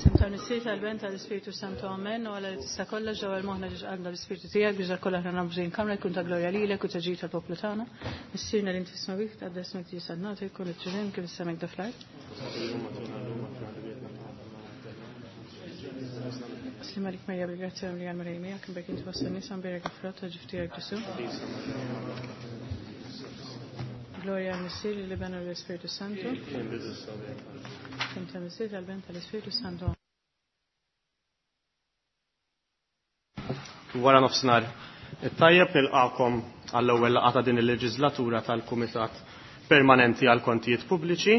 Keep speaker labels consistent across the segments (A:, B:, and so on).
A: F'isem tal-Missier tal-Ben tal-Ispirtu Santu Amen u għala li tista' kollox ġewwa moħħna ġiex qalbna l-Ispirtu tiegħek biex dak kollha aħna nagħmlu kamra jkun ta' glorja lilek u ta' ġid tal-poplu tagħna. Missierna li inti fis-smewwiet tqaddes ismek tiġi salnata jkun it-tridem kif is-semek da fl-art. Slim għalik Marija bil-grazzja li għal Marija miegħek imbek inti fost in-nisa mbierek il-frott ta' ġuf tiegħek Ġesu. Gloria għal Missier li u l-Ispirtu Santu. F'isem tal-Missier tal-Ben tal-Ispirtu Santu.
B: Wara nofsinhar it-tajjeb nilqakom għall-ewwel laqgħa ta' din il-leġislatura tal-Kumitat Permanenti għal Kontijiet Pubbliċi.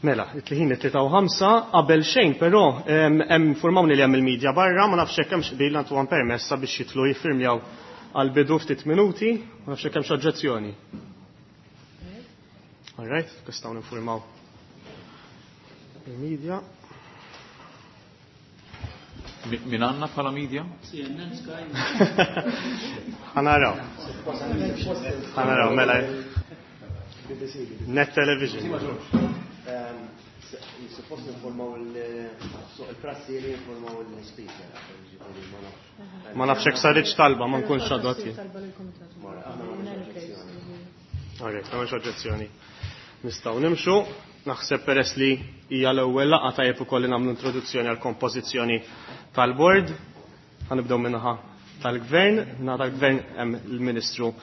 B: Mela, it-tliħin it-tlieta u ħamsa, qabel xejn però hemm informawni li hemm il-medja barra, ma nafx hekk hemmx qbil għandu permess sabiex jitlu jiffirmjaw għal bidu ftit minuti, ma nafx hekk hemmx oġġezzjoni. All right, nistgħu ninfurmaw il-media.
C: Min għanna bħala media?
D: CNN, Sky.
B: Ħanaraw. Ħanaraw, mela. Net Television.
E: Suppost informaw il-prassi li informaw il-speaker.
B: Ma nafx hekk saritx talba, ma nkunx għadwati. Alright, ma oġġezzjoni. Nistgħu nimxu. Naħseb peress li hija l-ewwel laqgħa tajjeb ukoll li nagħmlu introduzzjoni għal kompożizzjoni tal-bord. Ħanibdew minnaħa tal-gvern, naħa tal-gvern hemm il-Ministru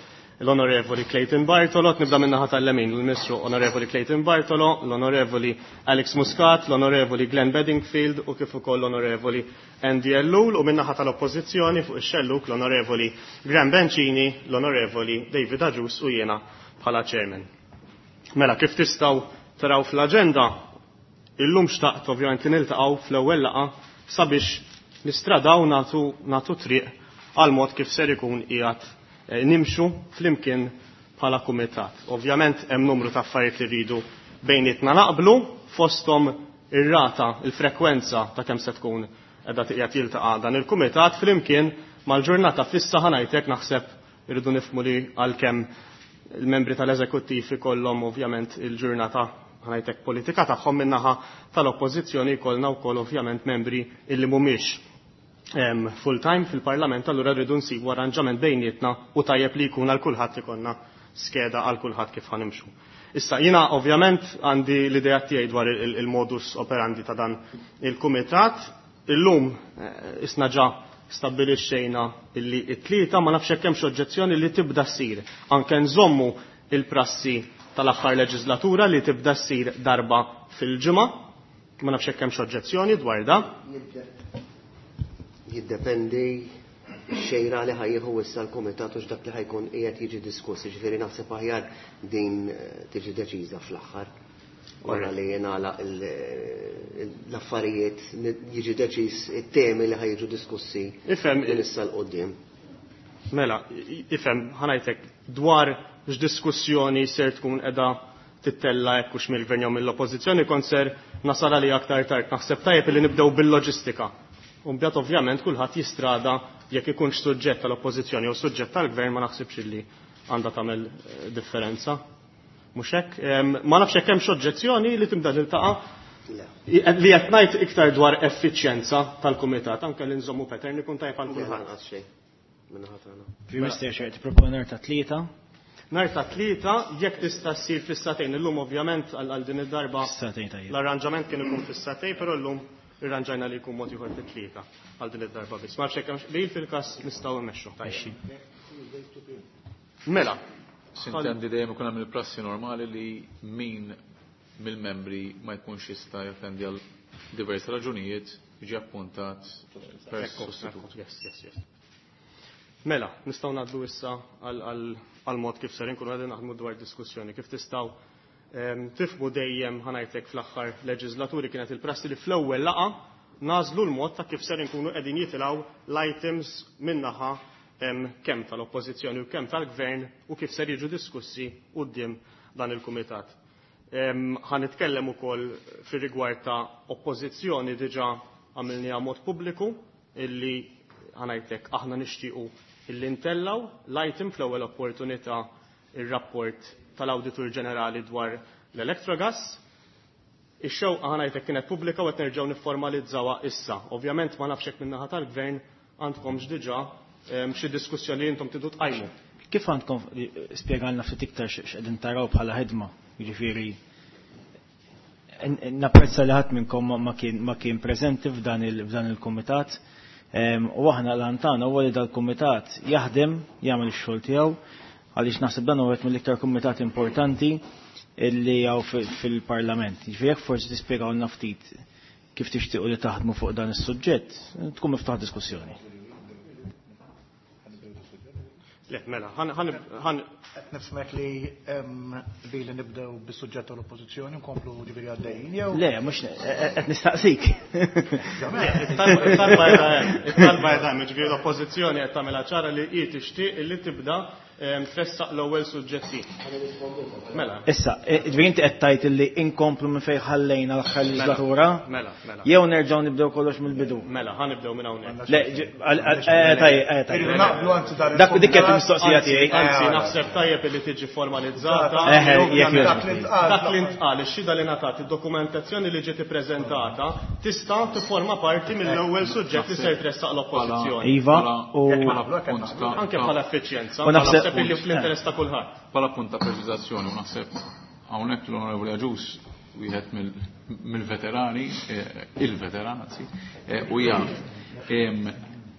B: l-Onorevoli Clayton Bartolo, nibda minnaħa tal-lemin, l-Ministru Onorevoli Clayton Bartolo, l-Onorevoli Alex Muscat, l-Onorevoli Glenn Bedingfield u kif ukoll l-Onorevoli Andy Ellul u minnaħa tal-Oppożizzjoni fuq ix-xelluk l-Onorevoli Graham Bencini, l-Onorevoli David Agius u jiena bħala chairman. Mela, kif tistgħu taraw fl-aġenda, illum xtaqt ovvjament li niltaqgħu fl-ewwel laqgħa sabiex nistradaw nagħtu nagħtu triq għal mod kif ser ikun qiegħed eh, nimxu flimkien bħala kumitat. Ovvjament hemm numru ta' affarijiet li rridu bejnietna naqblu fosthom ir-rata, il-frekwenza ta' kemm se tkun qiegħda qiegħed jiltaqa' dan il-kumitat flimkien mal-ġurnata fissa ħanajtek naħseb irridu nifhmu li għalkemm il-membri tal-eżekuttiv ikollhom ovvjament il-ġurnata ħanajtek politika tagħhom minnaħa tal-oppożizzjoni jkollna wkoll ovvjament membri illi mhumiex full time fil-parlament allura rridu nsibu arranġament bejnietna u tajjeb li jkun għal kulħadd ikollna skeda għal kulħadd kif ħanimxu. Issa jiena ovvjament għandi l-idea tiegħi dwar il-modus operandi ta' dan il-kumitat. Illum eh, isna ġa stabbilixxejna illi it-tlieta ma nafx hekk hemmx oġġezzjoni li tibda ssir. Anke nżommu il-prassi tal-aħħar leġislatura li tibda ssir darba fil-ġimgħa. Ma nafx hekk hemmx oġġezzjoni dwar da.
E: Jiddependi xejra li ħa jieħu issa l-komitat u x'dak li ħa jkun qiegħed jiġi diskuss, ġifieri naħseb aħjar din eh, tiġi deċiża fl-aħħar. Wara li jingħalaq l-affarijiet jiġi deċiż it-temi li ħa jiġu diskussi
B: Ifhem
E: minn issa 'l quddiem.
B: Mela, ifhem ħa ngħidlek dwar x'diskussjoni ser tkun qiegħda tittella hekk hux mill-gvern jew mill-oppożizzjoni kont ser nasal għalija aktar tard. Naħseb tajjeb li nibdew bil-loġistika. U mbagħad ovvjament kulħadd jistrada jekk ikunx suġġett tal-oppożizzjoni jew suġġett tal-gvern ma naħsibx illi għandha tagħmel eh, differenza. Mhux hekk? Ma nafx hekk hemmx oġġezzjoni li tibda tiltaqa' li qed ngħid iktar dwar effiċjenza tal-kumitat anke li nżommu pattern ikun tajjeb għal kulħadd.
E: Lanqas xejn. Minnaħa tagħna.
D: Prim Minister xejn tipproponi nhar ta' tlieta.
B: Nhar ta' tlieta jekk tista' ssir fis-sagħtejn illum ovvjament għal din id-darba
D: Fis-sagħtejn tajjeb.
B: l-arranġament kien ikun fis-sagħtejn, però llum irranġajna li jkun mod ieħor fit-tlieta għal din id-darba biss. Ma nafx hekk hemmx qbil fil-każ nistgħu mmexxu.
D: Mexxi.
B: Mela.
C: Sintendi dejjem ikun hemm il-prassi normali li min mill-membri ma jkunx jista' jattendi għal diversi raġunijiet jiġi appuntat per
B: Ekku,
C: sostitut.
B: ekku, Yes. Mela, nistgħu ngħaddu issa għal mod kif ser inkunu qegħdin naħdmu dwar diskussjoni, kif tistgħu tifhmu dejjem ħa ngħidlek fl-aħħar leġislaturi kienet il-prassi li fl-ewwel laqgħa nażlu l-mod ta' kif ser inkunu qegħdin jitilgħu l-items minnaħa kemm tal-oppożizzjoni u kemm tal-gvern u kif ser jiġu diskussi quddiem dan il-kumitat. Ħa nitkellem ukoll fir-rigward ta' oppożizzjoni diġà għamilniha mod pubbliku illi ħa ngħidlek aħna nixtiequ illi ntellaw l-item fl-ewwel opportunità ir-rapport tal-Awditur Ġenerali dwar l-Electrogas. Ix-xewqa ħa ngħidlek kienet pubblika u qed nerġgħu nifformalizzawha issa. Ovvjament ma nafx hekk min-naħa tal-Gvern għandkomx diġà xi diskussjoni li intom tridu tqajmu.
D: Kif għandkom spjegalna ftit iktar x'qegħdin taraw bħala ħidma, jiġifieri napprezza li ħadd minnkom ma kien preżenti f'dan il-kumitat. U aħna l-għan tagħna huwa li dal-kumitat jaħdem, jagħmel ix-xogħol tiegħu, għaliex naħseb dan huwa wieħed mill-iktar kumitat importanti illi hawn fil-Parlament. Jiġifieri jekk forsi tispjegawlna ftit kif tixtiequ li taħdmu fuq dan is-suġġett, tkun miftuħ diskussjoni.
B: Le, mela, ħan, ħan, ħan.
F: Qed nifhmek li hemm qbil li nibdew bis-suġġett tal-Oppożizzjoni nkomplu ġifieri għaddejjin jew?
D: Le, mhux qed nistaqsik.
B: It-talba qiegħda hemm, it-talba qiegħda hemm, ġifieri l-Oppożizzjoni qed tagħmilha ċara li hi tixtieq li tibda tressaq l-ewwel suġġetti. Mela.
D: Issa, ġifieri inti qed tgħid li inkomplu minn fejn ħallejna l-aħħar leġislatura?
B: Mela, mela.
D: Jew nerġgħu nibdew kollox mill-bidu?
B: Mela, ħa nibdew minn hawnhekk.
D: Le, tajjeb, tajjeb.
F: Irridu naqblu anzi dan
D: Dak dik qed mistoqsija
B: Anzi,
D: tiegħi.
B: anzi, naħseb tajjeb li tiġi formalizzata.
D: Eħe, jekk
F: Dak
D: jogħġbok.
F: li ntqal.
B: Dak li ntqal, ix-xhieda li ngħatat, id-dokumentazzjoni li ġiet ippreżentata tista' tifforma parti mill-ewwel suġġett li ser tressaq l-Oppożizzjoni.
D: Iva, u
F: Jekk ma naqblu, hekk
C: Punt
F: naqblu.
C: ta'
B: Anke bħala effiċjenza,
D: U naħseb
B: naħseb illi fl-interess ta' kulħadd.
C: Bħala punt ta' preċiżazzjoni, u naħseb hawnhekk l-Onorevoli Agius wieħed mill-veterani, il-veteran anzi, u jaf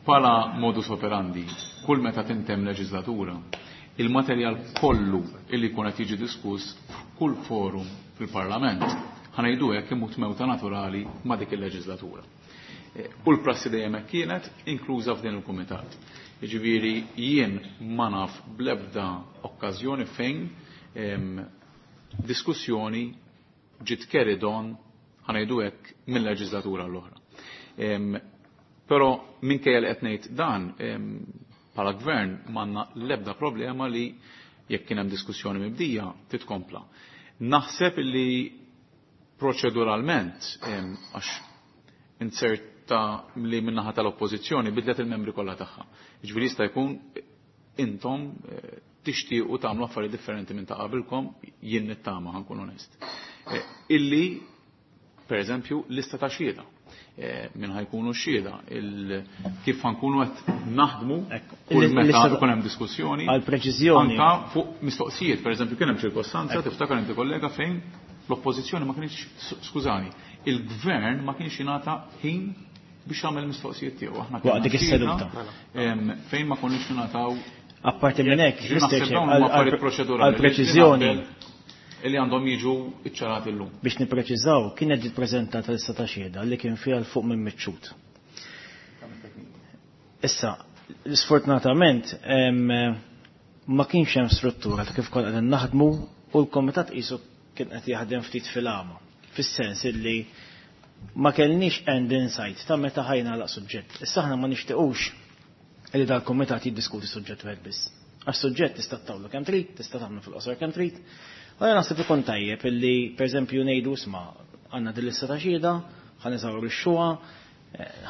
C: bħala modus operandi, kull meta tintem leġislatura, il-materjal kollu illi jkun qed jiġi diskuss f'kull forum fil-Parlament, ħanejdu hekk imut mewta naturali ma' dik il-leġislatura. U l-prassi dejjem hekk kienet, inkluża f'din il-kumitat. Jiġifieri jien ma naf bl-ebda okkażjoni fejn diskussjoni ġiet carried on, ħanejdu hekk, mill-leġislatura l-oħra. Però minkejja li qed ngħid dan, bħala gvern m'għandna l-ebda problema li jekk kien hemm diskussjoni mibdija titkompla. Naħseb li proċeduralment, għax inserta li min-naħa tal-oppożizzjoni bidlet il-membri kollha tagħha. Jiġifieri jista' jkun intom tixtiequ tagħmlu affarijiet differenti minn ta' qabilkom, jien nittama ħankun onest. Illi, per eżempju, lista ta' xhieda. Min ħajkunu xhieda, kif ħankunu qed naħdmu kull meta ikun hemm diskussjoni.
D: Għal preċiżjoni.
C: Anka fuq mistoqsijiet, per eżempju, kien hemm ċirkostanza, tiftakar inti kollega fejn l-oppożizzjoni ma kienx, skużani, il-gvern ma kienx jingħata ħin biex jagħmel mistoqsijiet tiegħu. Aħna
D: Waqt dik
C: kellna
D: is-seduta.
C: xhieda, fejn ma konniex ningħataw
D: Apparti minn hekk,
C: Ġi
D: Mister
C: naħseb
D: Chair,
C: dawn huma affarijiet proċedurali
D: għal preċiżjoni.
C: li naqbel li għandhom jiġu iċċarati llum.
D: Biex nippreċiżaw, kienet ġiet preżentata lista ta' xhieda li kien fiha l fuq minn miċċut. Issa, sfortunatament, ma kienx hemm struttura ta' kif konna qegħdin naħdmu u l-komitat qisu kien qed jaħdem ftit fil-għama. Fis-sens illi ma kellniex end in sight ta' meta ħajna laq suġġett. Issa aħna ma nixtiequx illi dal-komitat jiddiskuti suġġett wieħed biss. Għax suġġett tista' tawlu kemm trid, tista' tagħmlu fil-qosor kemm trid. U jien naħseb ikun tajjeb illi pereżempju ngħidu isma' għandna din lista ta' xhieda, ħa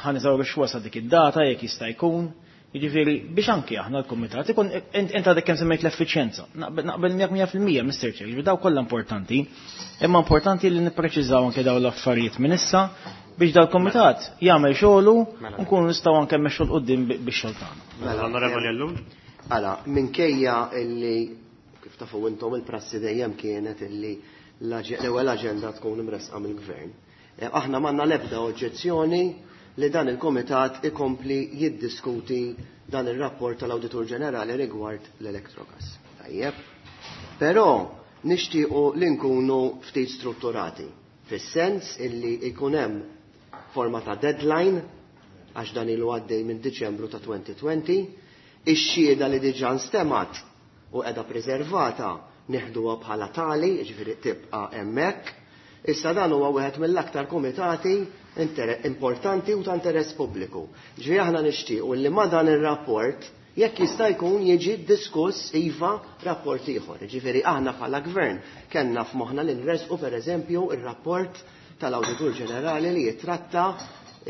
D: ħa niżawru x-xhuha sa dik id-data jekk jista' jkun. Jiġifieri biex anki aħna l-kumitat ikun int għadek kemm semmejt l-effiċjenza. Naqbel miegħek mija fil-mija, Mister Chair, jiġifieri daw kollha importanti, imma importanti li nippreċiżaw anke dawn l-affarijiet minn issa biex dal-kumitat jagħmel xogħlu
B: Mela.
D: u nkunu nistgħu anke mmexxu 'l quddiem bix-xogħol tagħna.
E: Mela,
B: Onorevoli Ellul.
E: Mela, minkejja illi kif tafu intom il-prassi dejjem kienet illi l-ewwel aġenda tkun imresqa mill-gvern. Aħna m'għandna l-ebda oġġezzjoni li dan il-komitat ikompli jiddiskuti dan ir-rapport tal-Awditur Ġenerali rigward l-Electrogas. Tajjeb. Però nixtiequ li nkunu ftit strutturati, fis-sens illi jkun hemm forma ta' deadline għax dan ilu għaddej minn Diċembru ta' 2020, ix-xhieda li diġà nstemat u qiegħda preservata neħduha bħala tali, jiġifieri tibqa' hemmhekk. Issa dan huwa wieħed mill-aktar komitati importanti u ta' interess pubbliku. Ġifieri aħna nixtiequ li ma' dan ir-rapport jekk jista' jkun jiġi diskuss iva rapport ieħor. Ġifieri aħna bħala gvern kellna f'moħħna li nresqu pereżempju ir-rapport tal-Awditur Ġenerali li jitratta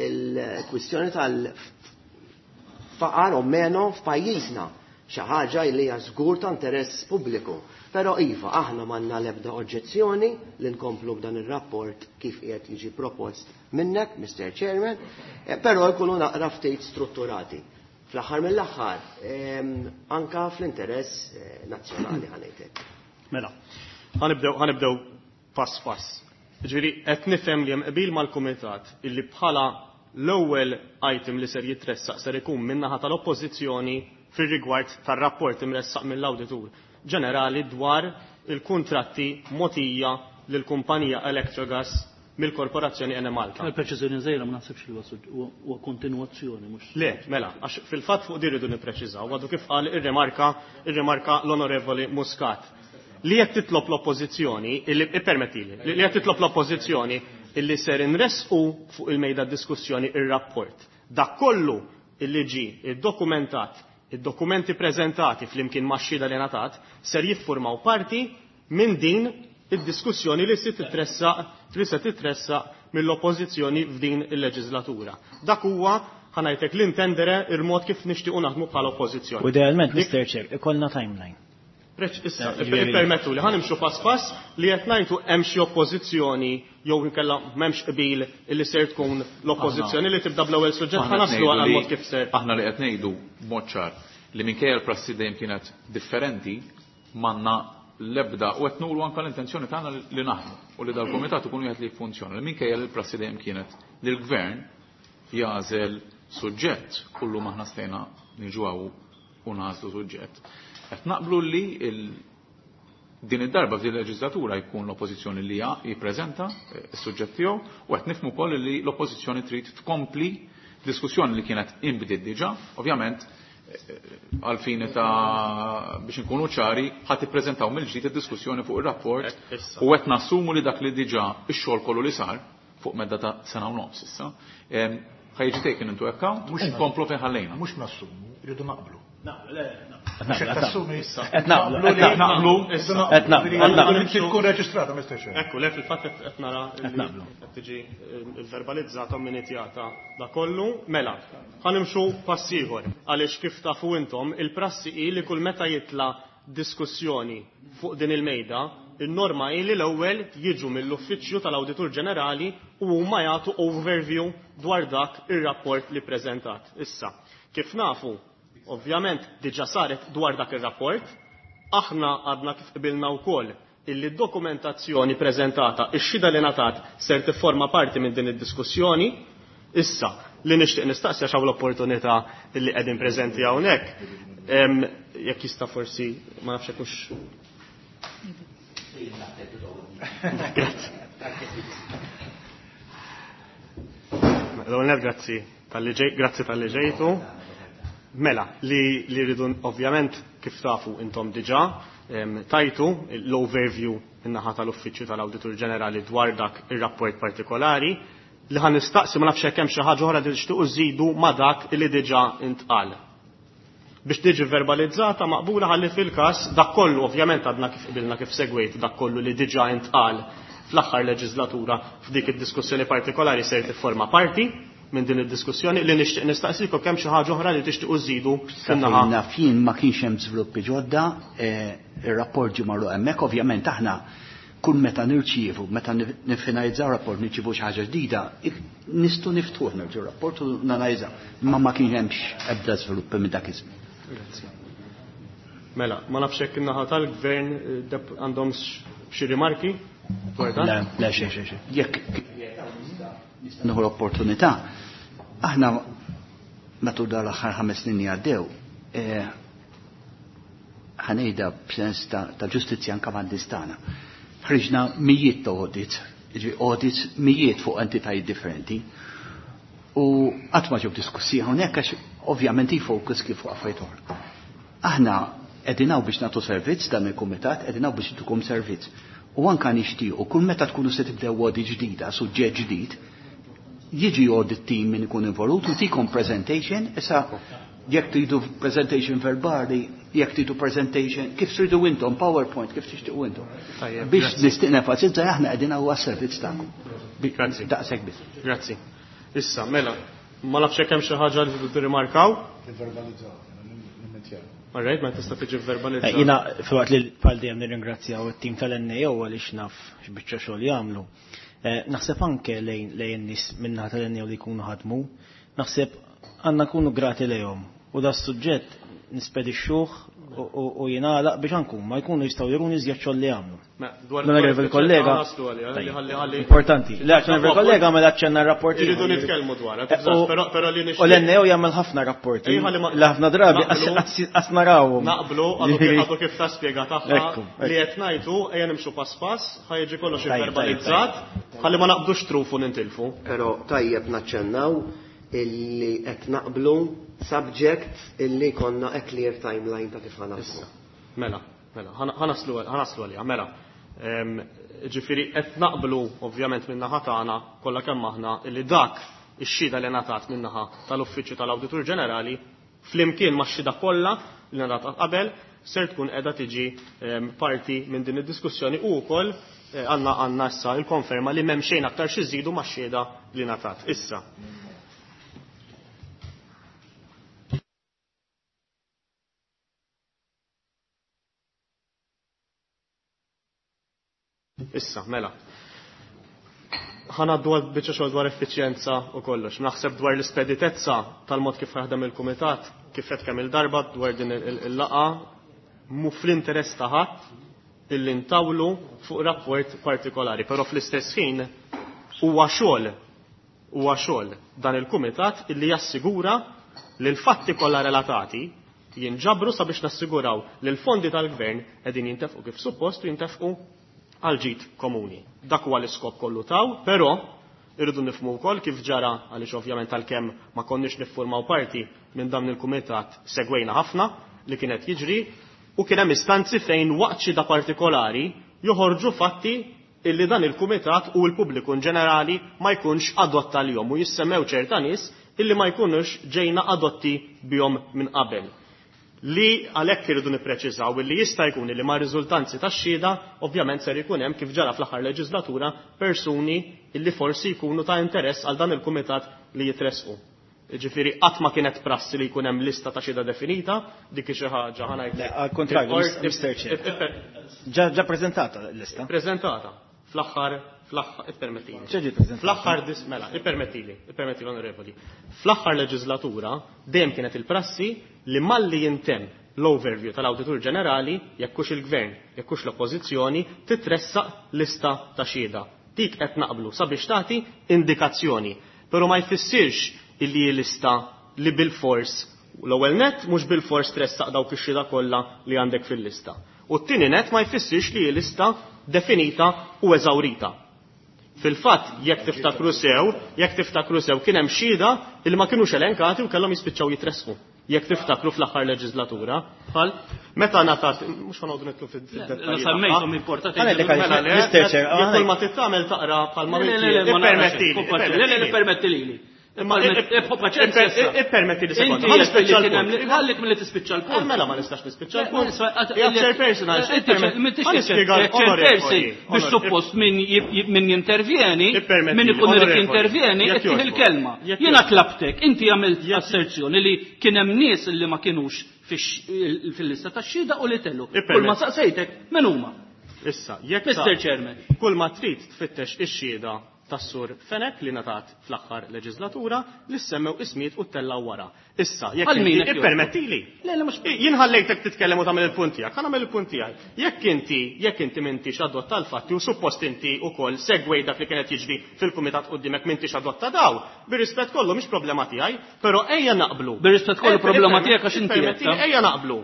E: il-kwistjoni tal-faqar o meno f'pajjiżna, xi ħaġa li hija żgur ta' interess pubbliku. Però iva, aħna m'għandna l-ebda oġġezzjoni li nkomplu b'dan ir-rapport kif qiegħed jiġi propost minnek, Mr. Chairman, però jkunu naqra ftit strutturati. Fl-aħħar mill-aħħar, anka fl-interess nazzjonali ħa ngħidlek.
B: Mela, ħa nibdew pass pass. Ġifieri qed nifhem li hemm qbil mal-kumitat illi bħala l-ewwel item li ser jitressaq ser ikun min-naħa tal-Oppożizzjoni fir-rigward tar-rapport imressaq mill-Awditur Ġenerali dwar il-kuntratti mogħtija lill-kumpanija Electrogas mill-Korporazzjoni Enemalta.
G: Il-preċiżjoni żgħira, ma naħsibx li huwa kontinwazzjoni, mhux.
B: Le, mela, għax fil-fatt fuq din irridu nippreċiżaw, għadu kif qal irrimarka l-Onorevoli Muscat. Li qed titlob l-Oppożizzjoni, illi ippermettili, li qed titlob l-Oppożizzjoni illi ser inresqu fuq il-mejda diskussjoni ir-rapport. Dak kollu illi ġi iddokumentat, id-dokumenti preżentati flimkien max-xhieda li ngħatat ser jiffurmaw parti minn din id-diskussjoni li se titressaq mill-Oppożizzjoni f'din il-leġislatura. Dak huwa, ħa ngħidlek, l-intendere il-mod kif nixtiequ naħdmu bħala Oppożizzjoni.
D: U idealment, Mr. Chair, ikollna timeline.
B: Issa, permettu li ħa nimxu pass pass. Li qed ngħidu, hemm xi oppożizzjoni jew inkella m'hemmx qbil illi ser tkun l-Oppożizzjoni li tibda bl-ewwel suġġett?
C: Aħna
B: Ħa naslu
C: qed ngħidu
B: għal mod kif ser.
C: Aħna li qed ngħidu b'mod ċar li minkejja l-prassi dejjem kienet differenti, m'għandna l-ebda u qed nuru anke l-intenzjoni tagħna li naħdmu u li dal-kumitat ikun wieħed li jiffunzjona. Li minkejja li l-prassi dejjem kienet li l-gvern jagħżel suġġett, kullu maħna stejna niġu hawn u nagħżlu suġġett. Qed naqblu li din id-darba f'din il-leġislatura jkun l-Oppożizzjoni li jippreżenta s-suġġett tiegħu u qed nifhmu wkoll li l-Oppożizzjoni trid tkompli diskussjoni li kienet inbdiet diġà, ovvjament għal-fini ta' biex nkunu ċari, ħa tippreżentaw mill-ġdid id-diskussjoni fuq ir-rapport
B: Issa.
C: u qed nassumu li dak li diġà ix-xogħol kollu li sar fuq medda ta' sena u nofs issa, ħa jiġi taken into account u nkomplu fejn ħallejna.
F: Mhux nassumu, rridu naqblu.
D: Le,
F: Mhux qed tassumi.
D: Qed naqblu, qed
C: naqblu.
D: Qed naqblu, qed naqblu.
F: Tkun reġistrata, Mr. Chair.
B: Ekku, le, fil-fatt qed nara
D: Qed naqblu.
B: qed tiġi verbalizzata u minitjata da kollu. Mela, ħa nimxu pass ieħor, għaliex kif tafu intom il-prassi hi li kull meta jitla diskussjoni fuq din il-mejda, il-norma hi li l-ewwel jiġu mill-Uffiċċju tal-Awditur Ġenerali u huma jagħtu overview dwar dak ir-rapport li preżentat. Issa, kif nafu, ovvjament diġà saret dwar dak ir-rapport, aħna għadna kif qbilna wkoll illi d-dokumentazzjoni preżentata, ix-xhieda li ngħatat ser tifforma parti minn din id-diskussjoni. Issa, li nixtieq nistaqsi, għax hawn l-opportunità illi qegħdin preżenti hawnhekk, jekk jista' forsi, ma nafx hekk hux. Grazzi. L-ewwel, grazzi talli ġejtu. Mela, li rridu ovvjament, kif tafu intom diġà, tajtu l-overview in-naħa tal-Uffiċċju tal-Awditur Ġenerali dwar dak ir-rapport partikolari. Li ħa nistaqsi, ma nafx hekk hemm xi ħaġa oħra li tixtiequ żidu ma dak li diġà intqal. Biex tiġi verbalizzata maqbula, ħalli fil-każ dak kollu, ovvjament għadna kif qbilna, kif segwejt, dak kollu li diġà intqal fl-aħħar leġislatura f'dik id-diskussjoni partikolari ser tifforma parti minn din id-diskussjoni. Li nixtieq nistaqsikom, kemm xi ħaġa oħra li tixtiequ żidu fin-naħa?
H: Naf jien ma kienx hemm żviluppi ġodda, ir-rapport ġie magħluq hemmhekk, ovvjament aħna kull meta nirċievu, meta nifinalizzaw rapport, nirċievu xi ħaġa ġdida, nistgħu niftuħ nerġgħu rapport u nanalizzaw. Imma ma kien hemmx ebda żviluppi minn dak iż-żmien.
B: Grazzi. Mela, ma nafx hekk in-naħa tal-gvern għandhom xi rimarki dwar dan?
D: Le, le, xejn, xejn, xejn.
H: Jekk nieħu l-opportunità, aħna matul dan l-aħħar 5 snin li għaddew, ħa ngħidha b'sens ta' ġustizzja anke man-nies tagħna. Ħriġna mijiet ta' audits, jiġifieri audits mijiet fuq entitajiet differenti. U qatt ma ġew diskussi hawnhekk għax ovvjament i-focus kif fuq affarijiet oħra. Aħna qegħdin hawn biex nagħtu servizz, dan il-kumitat qegħdin hawn biex ntukom servizz. U anka nixtiequ kull meta tkunu se tibdew audit ġdida, suġġett ġdid, jiġi audit team min ikun involut u tikom presentation, issa jekk tridu presentation verbali, jekk tridu presentation, kif tridu intom, PowerPoint, kif tixtiequ intom.
B: Tajjeb,
H: Biex
B: grazzi.
H: nixtieq nenfasizza, aħna qegħdin hawn għas-servizz tagħkom.
B: Grazzi.
H: Daqshekk biss.
B: Grazzi. Issa, mela, ma nafx hekk hemm xi ħaġa li tridu tirrimarkaw?
F: Verbalizzaw, nimmentjaw.
B: All right, ma tista' tiġi verbalizzata.
D: Jiena filwaqt li bħal dejjem nirringrazzjaw it-tim tal-NAO għaliex naf x'biċċa xogħol jagħmlu. Naħseb anke lejn in-nies min-naħa tal-NAO li jkunu ħadmu, naħseb għandna nkunu grati lejhom u da suġġett nispedixxuh u jingħalaq biex anke huma jkunu jistgħu juruni iżjed xogħol li jagħmlu. L-onorevoli kollega. Importanti. L-onorevoli kollega għamel aċċenna rapporti.
B: Irridu nitkellmu dwar, però li
D: U l-NEO jagħmel ħafna rapporti. Ħafna drabi qas narawhom.
B: Naqblu għadu kif ta' spjega tagħha li qed ngħidu ejja nimxu pass pass, ħa jiġi kollox verbalizzat, ħalli ma naqbdux trufu nintilfu.
E: Però tajjeb naċċennaw illi qed naqblu subject illi konna a clear timeline ta' kif ħa naħdmu.
B: Mela, mela, ħa naslu għaliha, mela. Ġifieri qed naqblu ovvjament min-naħa tagħna kollha kemm aħna illi dak ix-xhieda li ngħatat min-naħa tal-Uffiċċju tal-Awditur Ġenerali flimkien max-xhieda kollha li ngħatat qabel ser tkun qiegħda tiġi parti minn din id-diskussjoni u wkoll għandna issa l-konferma li m'hemm xejn aktar xi żidu max-xhieda li ngħatat. Issa. Issa, mela. Ħa ngħaddu għal biċċa xogħol dwar effiċjenza u kollox. Naħseb dwar l-ispeditezza tal-mod kif jaħdem il-kumitat, kif qed kemm il-darba dwar din il-laqgħa, mu fl-interess ta' ħadd illi ntawlu fuq rapport partikolari, però fl-istess ħin huwa xogħol dan il-kumitat illi jassigura li l-fatti kollha relatati jinġabru sabiex nassiguraw li l-fondi tal-gvern qegħdin jintefqu kif suppost u jintefqu għal ġid komuni. Dak huwa l-iskop kollu taw, però irridu nifhmu wkoll kif ġara għaliex ovvjament għalkemm ma konniex niffurmaw parti minn dan il-kumitat segwejna ħafna li kienet jiġri u kien hemm istanzi fejn waqt xi da partikolari joħorġu fatti illi dan il-kumitat u l-pubbliku in ġenerali ma jkunx adotta l-jom u jissemmew ċerta nies illi ma jkunux ġejna adotti bihom minn qabel. Li għalhekk irridu nippreċiżaw illi jista' jkun li ma' riżultanzi tax-xhieda ovvjament ser ikun hemm kif ġara fl-aħħar leġislatura persuni illi forsi jkunu ta' interess għal dan il-kumitat li jitresqu. Ġifieri qatt ma kienet prassi li jkun hemm lista ta' xhieda definita, dik hi xi ħaġa ħa ngħidlek.
D: Għal kontrarju, Mister Chair. Ġa preżentata l-lista.
B: Preżentata. Fl-aħħar, fl-aħħar, ippermettili.
D: Ġa ġiet preżentata.
B: Fl-aħħar dis-, mela, ippermettili, ippermettili onorevoli. Fl-aħħar leġislatura dejjem kienet il-prassi li malli jintemm l-overview tal-Awditur Ġenerali, jekk hux il-Gvern, jekk hux l-Oppożizzjoni, titressaq lista ta' xhieda. Dik qed naqblu sabiex tagħti indikazzjoni. Però ma jfissirx illi hi lista li bil-fors l-ewwel net mhux bil-fors tressaq dawk ix-xhieda kollha li għandek fil-lista. U t-tieni net ma jfissirx li hi lista definita u eżawrita. Fil-fatt, jekk tiftakru sew kien hemm xhieda li ma kinux elenkati u kellhom jispiċċaw jitressqu. Jekk tiftakru fl-aħħar leġislatura, bħal meta ngħatat, mhux ħa noqogħdu nidħlu fid-dettalji.
G: La semmejthom importanti.
D: Għalhekk li
B: Mela, le,
D: Mister Chair,
B: jekk
D: għalhekk.
B: kull ma titgħamel taqra bħal ma
G: Le, le, le,
B: minti,
G: ma narax,
B: ippermettili,
G: le, le, le,
B: ippermettili.
G: ippermettili.
B: Imma
G: Paċenzja issa.
B: ippermetti li sekonda.
G: Inti
B: Ma nispiċċa
G: li kien hemm
B: l-punt.
G: ħallik milli tispiċċa l-punt.
B: Mela ma nistax nispiċċa
G: Le,
B: l-punt.
G: ma nisfa-
B: Hija chairperson għal
G: Inti
B: ippermetti.
G: m'intix
B: Ma nispjega
G: chairperson
B: onorevoli,
G: biex
B: onorevoli.
G: suppost min jintervjeni,
B: Ippermetti,
G: min ikun irid
B: onorevoli.
G: jintervjeni,
B: Jekk
G: ittih
B: jogħġbok.
G: il-kelma.
B: Jekk
G: Jiena
B: jogħġbok.
G: tlabtek, inti għamilt asserzjoni li kien hemm nies li ma kinux fil-lista tax-xhieda u li tellu.
B: Ippermetti.
G: Kull ma saqsejtek, min huma?
B: Issa, jekk
G: Mister Chairman.
B: Kull ma trid tfittex ix-xhieda tas-sur Fenech li ngħatat fl-aħħar leġislatura li semmew ismijiet u tellaw wara. Issa, jekk
G: Għal min
B: inti
G: qed jogħġbok?
B: ippermettili.
G: Le, le, mhux
B: Jien ħallejtek titkellem u tagħmel il-punt tiegħek, ħa nagħmel il-punt tiegħi. Jekk inti m'intix adotta l-fatti u suppost inti wkoll segwej dak li kienet jiġri fil-kumitat quddiemek m'intix adotta daw, bir-rispett kollu mhix problema tiegħi, però ejja naqblu.
G: Bir-rispett kollu problema tiegħek għax inti
B: Ippermettili,
G: qed,
B: ejja naqblu.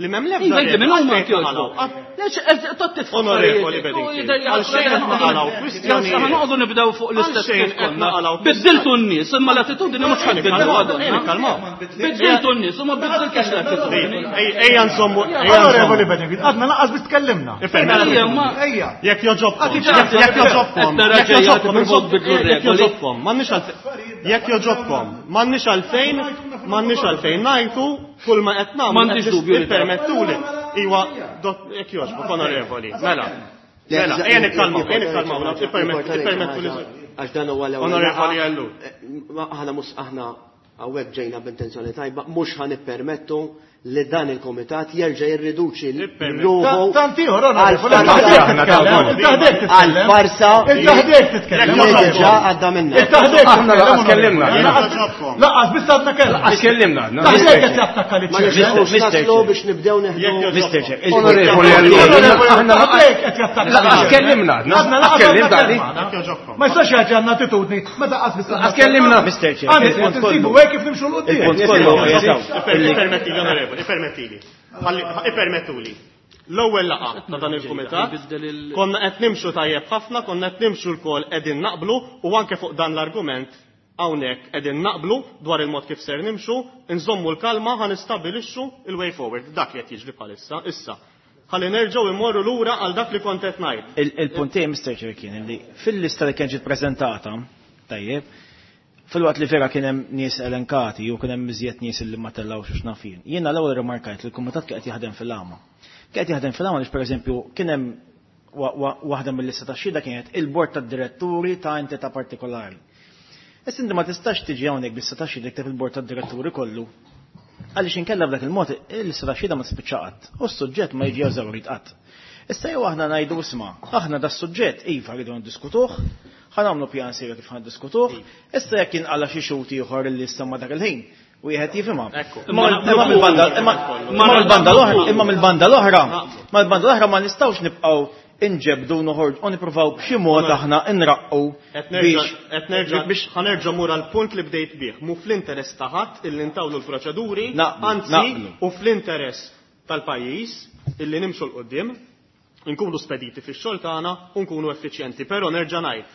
B: Li m'hemm l-ebda
G: Iva, inti minn huma
B: regola
G: inti
B: għalfejn
G: jogħġbok.
B: naqalgħu.
G: Le, tot titfa'
B: Onorevoli
G: affarijiet.
B: Bedingfield,
G: U jidher li
B: għal xejn qed naqalgħu kwistjonijiet.
G: Għal noqogħdu nibdew fuq l-istess
B: Għal xejn
G: kif
B: qed
G: konna.
B: naqalgħu
G: Biddiltu n-nies, imma l-attitudini mhux ħadd
B: Ejja,
G: bidlu għadhom.
B: ejja, nikkalmaw.
G: Biddiltu n-nies, imma biddiltux l-attitudini.
B: Ejja nżommu, ejja
F: Onorevoli
B: nżommu.
F: Bedingfield, għadna lanqas biss tkellimna.
B: Ippermettili.
G: Ejja, ma-
F: Ejja.
B: Jekk joġobkom,
F: Għati
B: jekk
F: ċans,
B: joġobkom,
G: Qed nara
B: jekk
G: ġejja
B: joġobkom,
G: tippruvaw tbiddlu
B: jekk
G: r-regoli.
B: joġobkom, m'għandniex għalfejn, jekk joġobkom, m'għandniex għalfejn, m'għandniex għalfejn ngħidu kull ma qed nagħmlu.
G: M'għandix
B: qed
G: dubju li
B: Ippermettuli. Iwa, jekk jogħġbok, onorevoli. Mela. Mela, ejja nikkalmaw, ejja nikkalmaw, ippermettuli.
E: Għax dan huwa l-ewwel
B: Onorevoli
E: laqgħa.
B: Ellul.
E: Ma aħna mhux aħna hawnhekk ġejna b'intenzjoni tajba, mhux ħa nippermettu li dan il-komitat jerġa' jirriduċi ruħu
F: Tant ieħor,
E: għal farsa
F: li
E: diġà għadda minna.
I: Aħna lanqas kellimna.
F: Lanqas biss għadna kellna.
I: Lanqas kellimna.
F: Taħdek qed jattakka li
E: Ma nixtiequx naslu biex nibdew neħdu.
D: Mr. Chair,
I: Onorevoli, aħna
F: Taħdek qed jattakka.
I: Lanqas kellimna.
F: Għadna
I: Kellimna di.
F: Ma jistax jagħti għandna attitudni meta qas biss
I: Lanqas kellimna.
D: Mr. Chair,
F: Għandi
D: il-punt
F: nsibu
D: kollu.
F: hekk kif nimxu 'l quddiem.
D: Il-punt kollu qiegħed
B: Ippermettili, onorevoli, ippermettili. Ippermettuli. L-ewwel laqgħa ta' dan il-kumitat konna qed nimxu tajjeb ħafna, konna qed nimxu lkoll qegħdin naqblu u anke fuq dan l-argument hawnhekk qegħdin naqblu dwar il-mod kif ser nimxu, nżommu l-kalma ħa nistabilixxu il-way forward. Dak li qed jiġri bħalissa issa. Ħalli nerġgħu immorru lura għal dak li kont qed ngħid.
D: Il-punt tiegħi, Mr. Chair, kien li fil-lista li kien ġiet preżentata, tajjeb, fil-waqt li vera kien hemm nies elenkati u kien hemm iżjed nies li ma tellgħux u x'naf jien. Jiena l-ewwel rimarkajt li l-kumitat kien qed jaħdem fil-għama. Kien qed jaħdem fil-għama għaliex pereżempju kien hemm waħda mill-lista ta' xhieda kienet il-bord tad-diretturi ta' entità partikolari. Issa inti ma tistax tiġi hawnhekk b'lista ta' xhieda tikteb il-bord tad-diretturi kollu. Għaliex inkella b'dak il-mod il-lista ta' xhieda ma tispiċċa qatt u s-suġġett ma jiġi eżawrit qatt. Issa jew aħna ngħidu isma', aħna da suġġett iva rridu ndiskutuh, ħa nagħmlu pjan serju kif ħa ndiskutuh, issa jekk jinqala xi xhud ieħor il-lista ma dak il-ħin, wieħed jifhimha. Imma mill-banda imma mill-banda l-oħra, imma mill-banda l-oħra, mal-banda l-oħra ma nistgħux nibqgħu inġebdu noħorġu u nippruvaw b'xi mod aħna nraqqu biex
B: Qed nerġa' biex ħa nerġa' mur għal punt li bdejt bih. Mu fl-interess ta' ħadd illi ntawlu l-proċeduri, anzi u fl-interess tal-pajjiż illi nimxu 'l quddiem, nkunu spediti fix-xogħol tagħna u nkunu effiċjenti. Però nerġa' ngħid,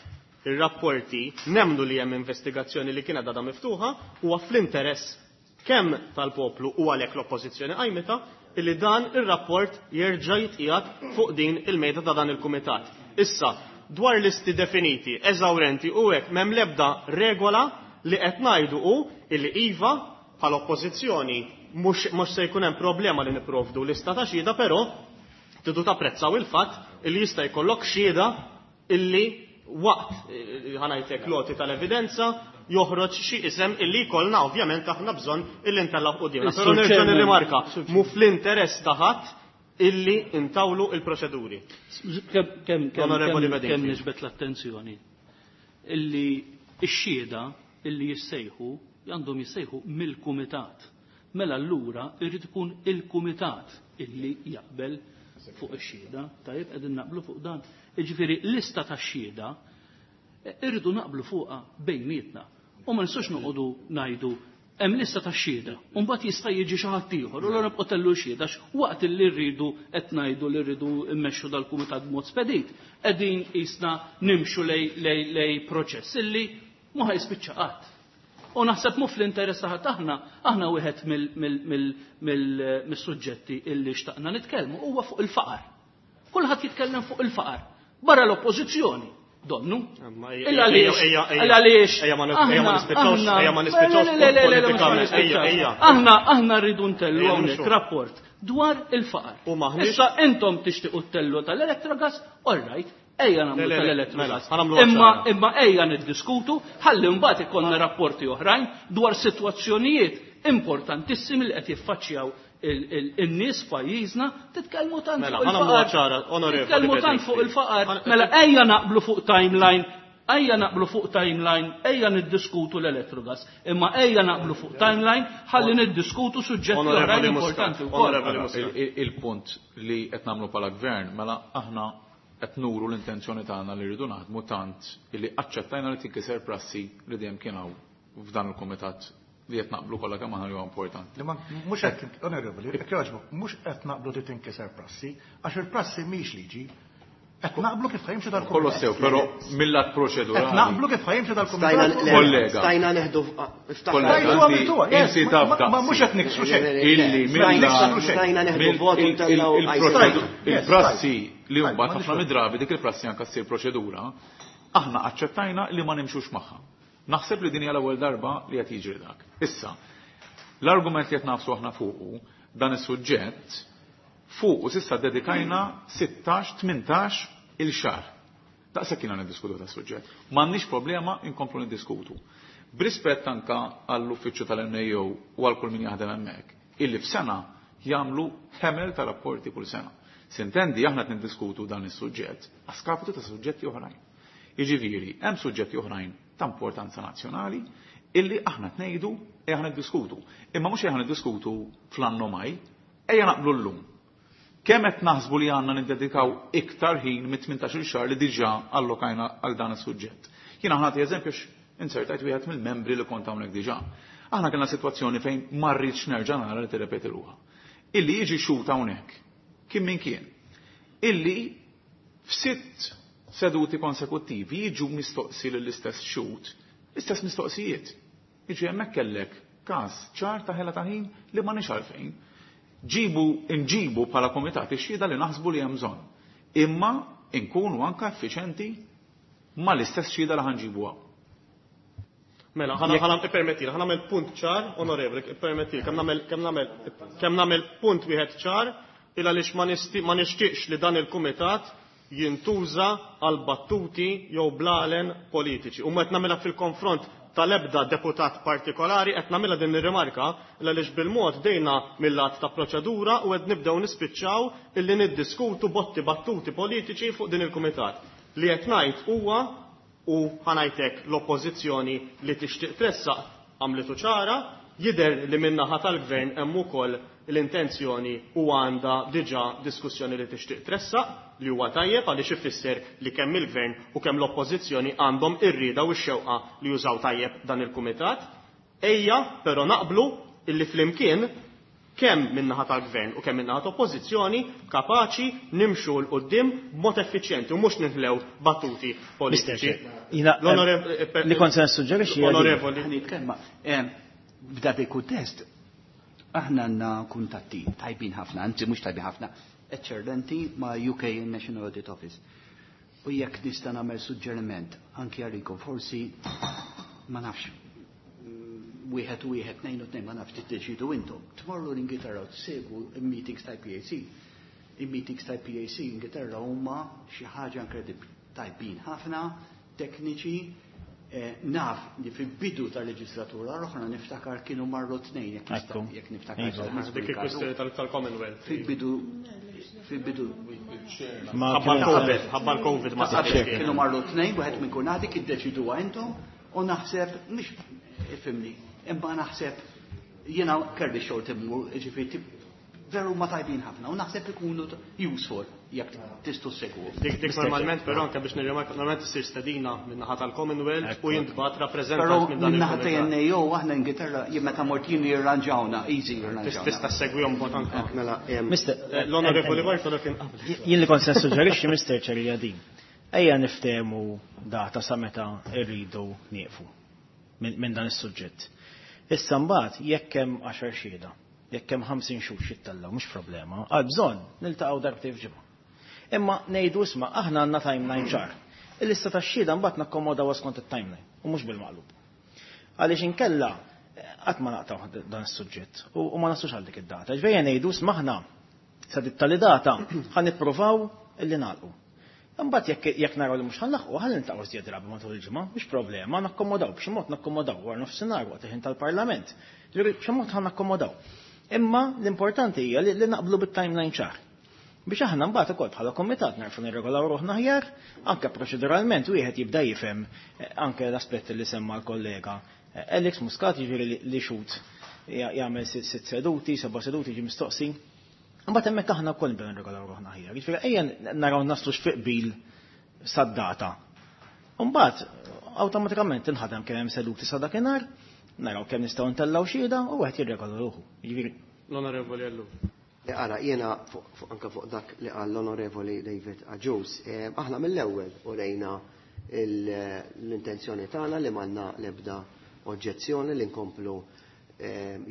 B: ir-rapporti nemmnu li hemm investigazzjoni li kienet għadha miftuħa huwa fl-interess kemm tal-poplu u għalhekk l-oppożizzjoni qajmita illi dan ir-rapport jerġa' jitqiegħed fuq din il-mejda ta' dan il-kumitat. Issa, dwar listi definiti, eżawrenti u hekk m'hemm l-ebda regola li qed ngħidu hu illi iva bħala oppożizzjoni mhux se jkun hemm problema li nipprovdu lista ta' xhieda, però tridu tapprezzaw il-fatt illi jista' jkollok xhieda illi waqt ħa ngħidlek l-għoti tal-evidenza joħroġ xi isem illi jkollna ovvjament aħna bżonn illi ntellgħu qudiemna. Però nerġa' nirrimarka, mhu fl-interess ta' ħadd illi intawlu il-proċeduri.
G: Kemm kemm niġbed l-attenzjoni illi x-xhieda illi jissejħu għandhom jissejħu mill-kumitat. Mela allura irrid ikun il-kumitat illi jaqbel fuq ix-xhieda, tajjeb qegħdin naqblu fuq dan. Jiġifieri lista tax-xhieda irridu naqblu fuqha bejnietna. U ma nistgħux noqogħdu ngħidu hemm lista ta' xhieda, u mbagħad jista' jiġi xi ħadd ieħor, u allura nibqgħu tellu xhieda waqt li rridu qed ngħidu li rridu mmexxu dal-kumitat b'mod spedit, qegħdin qisna nimxu lej proċess illi ma ħa jispiċċa qatt. U naħseb mhu fl-interess ta' ħadd aħna, aħna wieħed mis-suġġetti illi xtaqna nitkellmu huwa fuq il-faqar. Kulħadd jitkellem fuq il-faqar. Barra l-oppożizzjoni. Donnu.
B: Illa għaliex.
G: Illa għaliex.
B: Ejja ma nispiċċawx, ejja ma nispiċċawx politikament. Ejja, ejja.
G: Aħna rridu ntellu hawnhekk rapport dwar il-faqar. Issa intom tixtiequ tellu tal-Electrogas, all right, ejja nagħmlu tal-Electrogas. Imma ejja niddiskutu ħalli mbagħad ikollna rapporti oħrajn dwar sitwazzjonijiet importantissimi li qed jiffaċċjaw in-nies pajjiżna. Titkellmu tant
B: Mela,
G: fuq il-faqar. Titkellmu tant fuq il-faqar. Mela ejja naqblu fuq timeline, ejja naqblu fuq timeline, ejja niddiskutu l-Electrogas. Imma ejja naqblu fuq timeline ħalli niddiskutu suġġetti oħrajn importanti wkoll.
C: Il-punt li qed nagħmlu bħala gvern, mela aħna qed nuru l-intenzjoni tagħna li rridu naħdmu tant illi aċċettajna li tinkiser prassi li dejjem kien hawn f'dan il-kumitat li qed naqblu kollha kemm aħna li huwa importanti.
F: Li ma mhux qed, onorevoli, jekk jogħġbok, mhux qed naqblu li tinkiser prassi, għax il-prassi mhix liġi. Qed naqblu kif ħa jimxi dal-kumitat.
C: Kollu sew, però mill-lat proċedurali.
F: Qed naqblu kif ħa jimxi dal-kumitat.
C: Kollega.
E: Stajna neħdu.
C: Kollega,
F: Stajtu għamiltuha, yes,
C: inti taf
F: ma mhux qed niksru xejn.
C: Illi
E: Stajna neħdu vot u ntellgħu
C: il-prassi li mbagħad ħafna mid-drabi dik il-prassi anke ssir proċedura, aħna aċċettajna li ma nimxux magħha. Naħseb li din hija l-ewwel darba li qed jiġri dak. Issa, l-argument li qed nafsu aħna fuqu dan is-suġġett fuqu s'issa dedikajna 16-18 il-xahar. Daqshekk kienna niddiskutu ta' suġġett. M'għandniex problema inkomplu niddiskutu. B'rispett anka għall-uffiċċju tal-NAO u għal kull min jaħdem hemmhekk, illi f'sena Jagħmlu ħemel ta' rapporti kull sena. Sintendi aħna qed niddiskutu dan is-suġġett a skapitu ta' suġġetti oħrajn. Jiġifieri, hemm suġġetti oħrajn ta' importanza nazzjonali illi aħna tnejdu e aħna niddiskutu. Imma mhux aħna niddiskutu fl-anno maj, ejja naqblu llum. Kemm qed naħsbu li għandna niddedikaw iktar ħin mit-18-il xahar li diġà allokajna għal dan is-suġġett. Jiena ħa nagħti eżempju insertajt wieħed mill-membri li kont hawnhekk diġà. Aħna kellna sitwazzjoni fejn ma rridx nerġa' nara li tirrepeti ruħha. Illi jiġi xhud hawnhekk, kien min kien, illi f'sitt seduti konsekuttivi jiġu mistoqsi lill-istess xhud, l-istess mistoqsijiet. Jiġi hemmhekk kellek każ ċar ta' ħela ta' ħin li ma nix għalfejn. Ġibu, nġibu bħala komitat ix-xhieda li naħsbu li hemm bżonn. Imma nkunu anka effiċenti ma l-istess xhieda li ħa nġibu hawn.
B: Mela, ħana ippermetti, ħa nagħmel punt ċar, onorevoli, ippermetti, kemm nagħmel punt wieħed ċar, il għaliex ma nixtieqx li dan il-kumitat jintuża għal battuti jew blalen politiċi. U qed nagħmilha fil-konfront tal-ebda deputat partikolari, qed nagħmilha din ir-rimarka għaliex bil-mod dejna mill-lat ta' proċedura u qed nibdew nispiċċaw illi niddiskutu botti battuti politiċi fuq din il-kumitat. Li qed ngħid huwa u ħa ngħidlek l-oppożizzjoni li tixtieq tressaq għamlitu ċara, jidher li min-naħa tal-gvern hemm ukoll l-intenzjoni u għandha diġà diskussjoni li tixtieq tressaq li huwa tajjeb għaliex ifisser li kemm il-gvern u kemm l-oppożizzjoni għandhom ir-rieda u x-xewqa li jużaw tajjeb dan il-kumitat. Ejja, però naqblu illi flimkien kemm min-naħa tal-gvern u kemm min-naħa tal-oppożizzjoni kapaċi nimxu 'l quddiem b'mod effiċjenti u mhux ninħlew battuti politiċi.
D: Li kont se nissuġġerixxi
B: Onorevoli.
H: Nitkellma. F'dak il-kuntest aħna għandna kuntatti tajbin ħafna, anzi mhux tajbin ħafna, eċċellenti ma' UK National Audit Office. U jekk nista' nagħmel suġġeriment anki għalikom forsi ma nafx wieħed u wieħed, tnejn u tnejn, ma nafx tiddeċidu intom. Tmorru l-Ingilterra u tsegwu il-meetings tal-PAC. Il-meetings tal-PAC Ingilterra huma xi ħaġa inkredibbli. Tajbin ħafna, tekniċi, naf li fil-bidu tal-leġislatura l-oħra niftakar kienu marru tnejn, jekk niftakar.
B: Dik il-kwistjoni tal-Commonwealth.
H: Fil-bidu, fil-bidu.
B: Ħabba l-Covid ma sarx.
H: Kienu marru tnejn, wieħed minn kun għadik iddeċiduha intom u naħseb, mhux ifhimni, imma naħseb jiena kelli xogħol timmur, ġifieri veru ma tajbin ħafna u naħseb ikunu useful jekk tistgħu segwu.
B: Dik normalment però anke biex nirrimarka normalment issir stedina min-naħa tal-Commonwealth u jintbagħat rappreżentant minn dan
H: min-naħa ta' NAO aħna Ingilterra jien meta mort jien jirranġawna, easy jirranġawna.
B: Tista' segwihom b'mod anke.
E: Mela,
B: l-Onorevoli Bartolo kien qabel.
D: Jien li kont se nissuġġerixxi Mr. Chair din. Ejja niftehmu data sa meta rridu nieqfu minn dan is-suġġett. Issa mbagħad jekk hemm 10 xhieda, jekk hemm 50 xhur xittellgħu mhux problema, għal bżonn niltaqgħu darbtejn f'ġimgħa. Imma ngħidu isma' aħna għandna timeline ċar. Il-lista tax-xhieda mbagħad nakkomodaw skont it-timeline u mhux bil-maqlub. Għaliex inkella qatt ma naqtgħu dan is-suġġett u ma naslux għal dik id-data. Ġvejja ngħidu isma' aħna sa dit tali data ħa nippruvaw illi nagħlqu. Imbagħad jekk naraw li mhux ħa nlaħqu, ħalli niltaqgħu żjed drabi matul il-ġimgħa, mhux problema, nakkomodaw, b'xi mod nakkomodaw wara nofsinhar waqt il-ħin tal-Parlament. Ġifieri b'xi mod ħa nakkomodaw. Imma l-importanti hija li naqblu bit-timeline ċar. Biex aħna mbagħad ukoll bħala komitat narfu nirregolaw ruħna aħjar, anke proċeduralment wieħed jibda jifhem anke l-aspetti li semma l-kollega Alex Muscat, jiġifieri li xhud jagħmel sitt seduti, seba' seduti ġi mistoqsi. Mbagħad hemmhekk aħna wkoll nibdew nirregolaw ruħna aħjar. Jiġifieri ejja naraw naslu x'fi qbil sad-data. Mbagħad awtomatikament tinħadem kemm hemm seduti sa dakinhar, naraw kemm nistgħu ntellgħu xhieda u wieħed jirregola ruħu. Jiġifieri
B: L-Onorevoli Ellul.
E: Ara, jiena anke fuq dak li qal l-Onorevoli David Agius, aħna mill-ewwel urejna l-intenzjoni tagħna li m'għandna l-ebda oġġezzjoni li nkomplu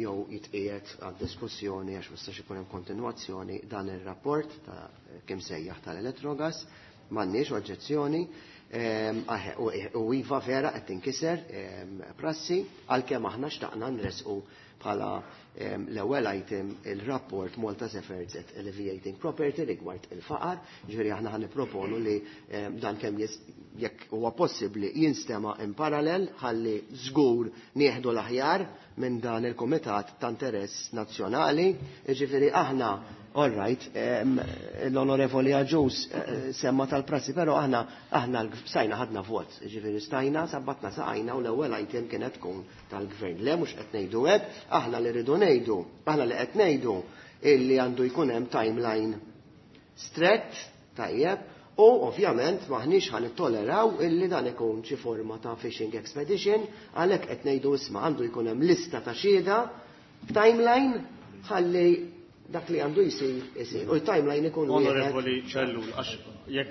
E: jew jitqiegħed għad-diskussjoni għax ma jistax ikun hemm kontinwazzjoni dan ir-rapport ta' kemm sejjaħ tal-Electrogas, m'għandniex oġġezzjoni. U iva vera qed tinkiser prassi għalkemm aħna xtaqna nresqu bħala l-ewwel item il-rapport Malta's Efforts at Alleviating Property rigward il-faqar, ġifieri aħna ħa nipproponu li dan kemm jekk huwa possibbli jinstema' in parallel ħalli żgur nieħdu l-aħjar minn dan il-Kumitat ta' Interess Nazzjonali. Jiġifieri aħna, all right, l-Onorevoli Agius semma tal-prassi, però aħna aħna stajna ħadna vot, jiġifieri stajna sabbatna saqajna u l-ewwel item kienet tkun tal-Gvern. Le, mhux qed ngħidu hekk, aħna li rridu ngħidu, aħna li qed ngħidu illi għandu jkun hemm timeline strett, tajjeb, u ovvjament maħniex ħa nittoleraw illi dan ikun xi forma ta' fishing expedition, għalhekk qed ngħidu isma' għandu jkun hemm lista ta' xhieda timeline ħalli dak li għandu jsir isir. U l-timeline ikun wieħed.
B: Onorevoli Ellul, għax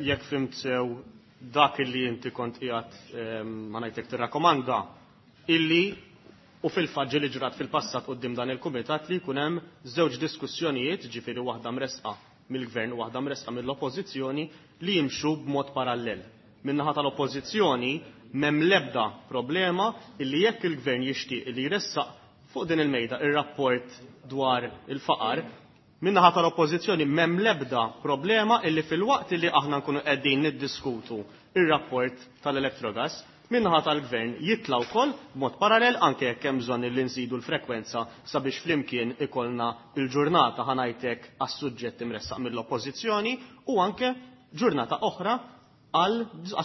B: jekk fhimt sew dak illi inti kont qiegħed, ma ngħidlek, tirrakkomanda illi u fil-fatt li ġrat fil-passat quddiem dan il-kumitat li jkun hemm żewġ diskussjonijiet, ġifieri waħda mresqa mill-gvern u waħda mresqa mill-oppożizzjoni, li jimxu b'mod parallel. Min-naħa tal-oppożizzjoni m'hemm l-ebda problema illi jekk il-gvern jixtieq li jressaq fuq din il-mejda ir-rapport dwar il-faqar, min-naħa tal-oppożizzjoni m'hemm l-ebda problema illi fil-waqt illi aħna nkunu qegħdin niddiskutu ir-rapport tal-Electrogas, min-naħa tal-gvern jitla' wkoll b'mod parallel, anke jekk hemm bżonn illi nżidu l-frekwenza sabiex flimkien ikollna il-ġurnata, ħa ngħidlek, għas-suġġett imressaq mill-oppożizzjoni u anke ġurnata oħra għal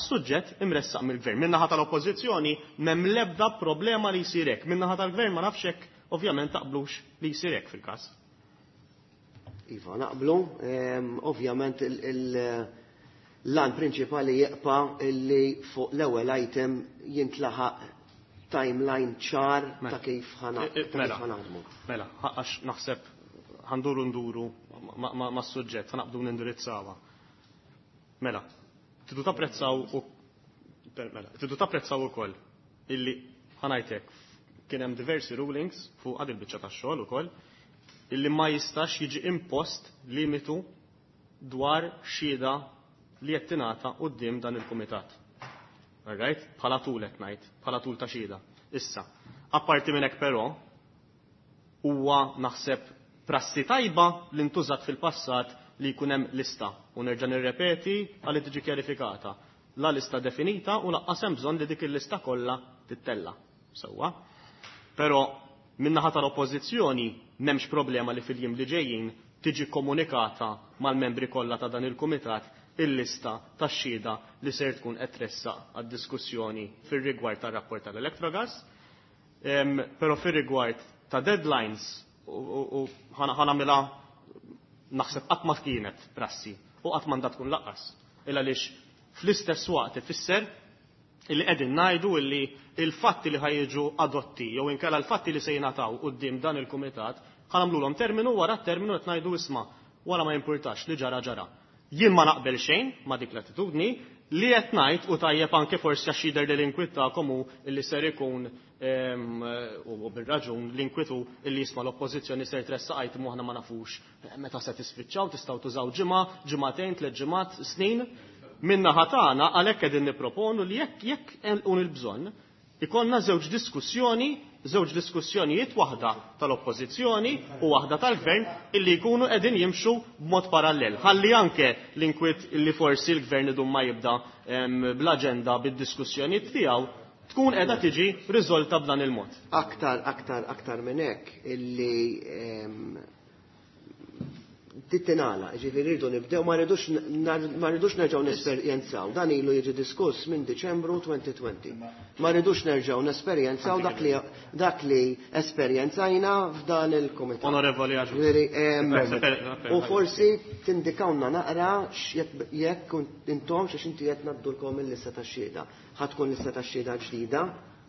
B: suġġett imressaq mill-gvern. Min-naħa tal-oppożizzjoni m'hemm l-ebda problema li jsir hekk. Min-naħa tal-gvern ma nafx hekk ovvjament taqblux li jsir hekk fil-każ.
E: Iva, naqblu, ovvjament l-għan prinċipali jibqa' illi fuq l-ewwel item jintlaħaq timeline ċar ta' kif ħa naħdmu.
B: Mela, għax naħseb ħa nduru nduru ma' suġġett, ħa naqbdu nindirizzawha. Mela, tridu tapprezzaw u mela, tridu tapprezzaw ukoll illi, ħa ngħidlek, kien hemm diversi rulings fuq għad il-biċċa tax-xogħol ukoll illi ma jistax jiġi impost limitu dwar xhieda li qed tingħata quddiem dan il-kumitat. Alright? Bħala tul qed ngħid, bħala tul ta' xhieda. Issa, apparti minn hekk però, huwa naħseb prassi tajba li ntużat fil-passat li jkun hemm lista u nerġa' nirrepeti għalli tiġi kjarifikata. La lista definita u lanqas hemm bżonn li dik il-lista kollha tittella. Sewwa. Però min-naħa tal-oppożizzjoni m'hemmx problema li fil-jiem li ġejjin tiġi komunikata mal-membri kollha ta' dan il-kumitat il-lista tax-xhieda li ser tkun qed tressaq għad-diskussjoni fir-rigward tar-rapport tal-Electrogas. Però fir-rigward ta' deadlines u ħa nagħmilha, naħseb qatt ma kienet prassi u qatt m'għandha tkun lanqas. Illa għaliex fl-istess waqt ifisser illi qegħdin ngħidu illi il-fatti li ħa jiġu adotti jew inkella l-fatti li se jingħataw quddiem dan il-kumitat ħa nagħmluhom terminu, wara terminu qed ngħidu isma' wara ma jimpurtax, li ġara ġara. Jien ma naqbel xejn ma dik l-attitudni li qed ngħid u tajjeb anke forsi għax jidher li l-inkwiet tagħkom hu illi ser ikun u bir-raġun l-inkwitu illi jisma' l-oppożizzjoni ser tressaq item u aħna ma nafux meta se tispiċċaw, tistgħu tużaw ġimgħa, ġimagħtejn, 3 ġimgħat, snin. Min-naħa tagħna għalhekk qegħdin nipproponu li jekk hemm il-bżonn ikollna żewġ diskussjoni, żewġ diskussjonijiet, waħda tal-oppożizzjoni u waħda tal-gvern, illi jkunu qegħdin jimxu b'mod parallel. Ħalli anke l-inkwiet illi forsi l-gvern idum ma jibda bl-aġenda bid-diskussjonijiet tiegħu tkun qiegħda tiġi riżolta b'dan il-mod.
E: Aktar minn hekk illi tittinala, ġifieri rridu nibdew, ma rridux nerġgħu nesperjenzaw. Dan ilu jiġi diskuss minn Diċembru 2020. Ma rridux nerġgħu nesperjenzaw dak li esperjenzajna f'dan il-kumitat.
B: Onorevoli Agius.
E: Ġifieri, u forsi tindikawna naqra jekk intom x'għax inti qed ngħaddulkom il-lista tax-xhieda. Ħa tkun lista tax-xhieda ġdida,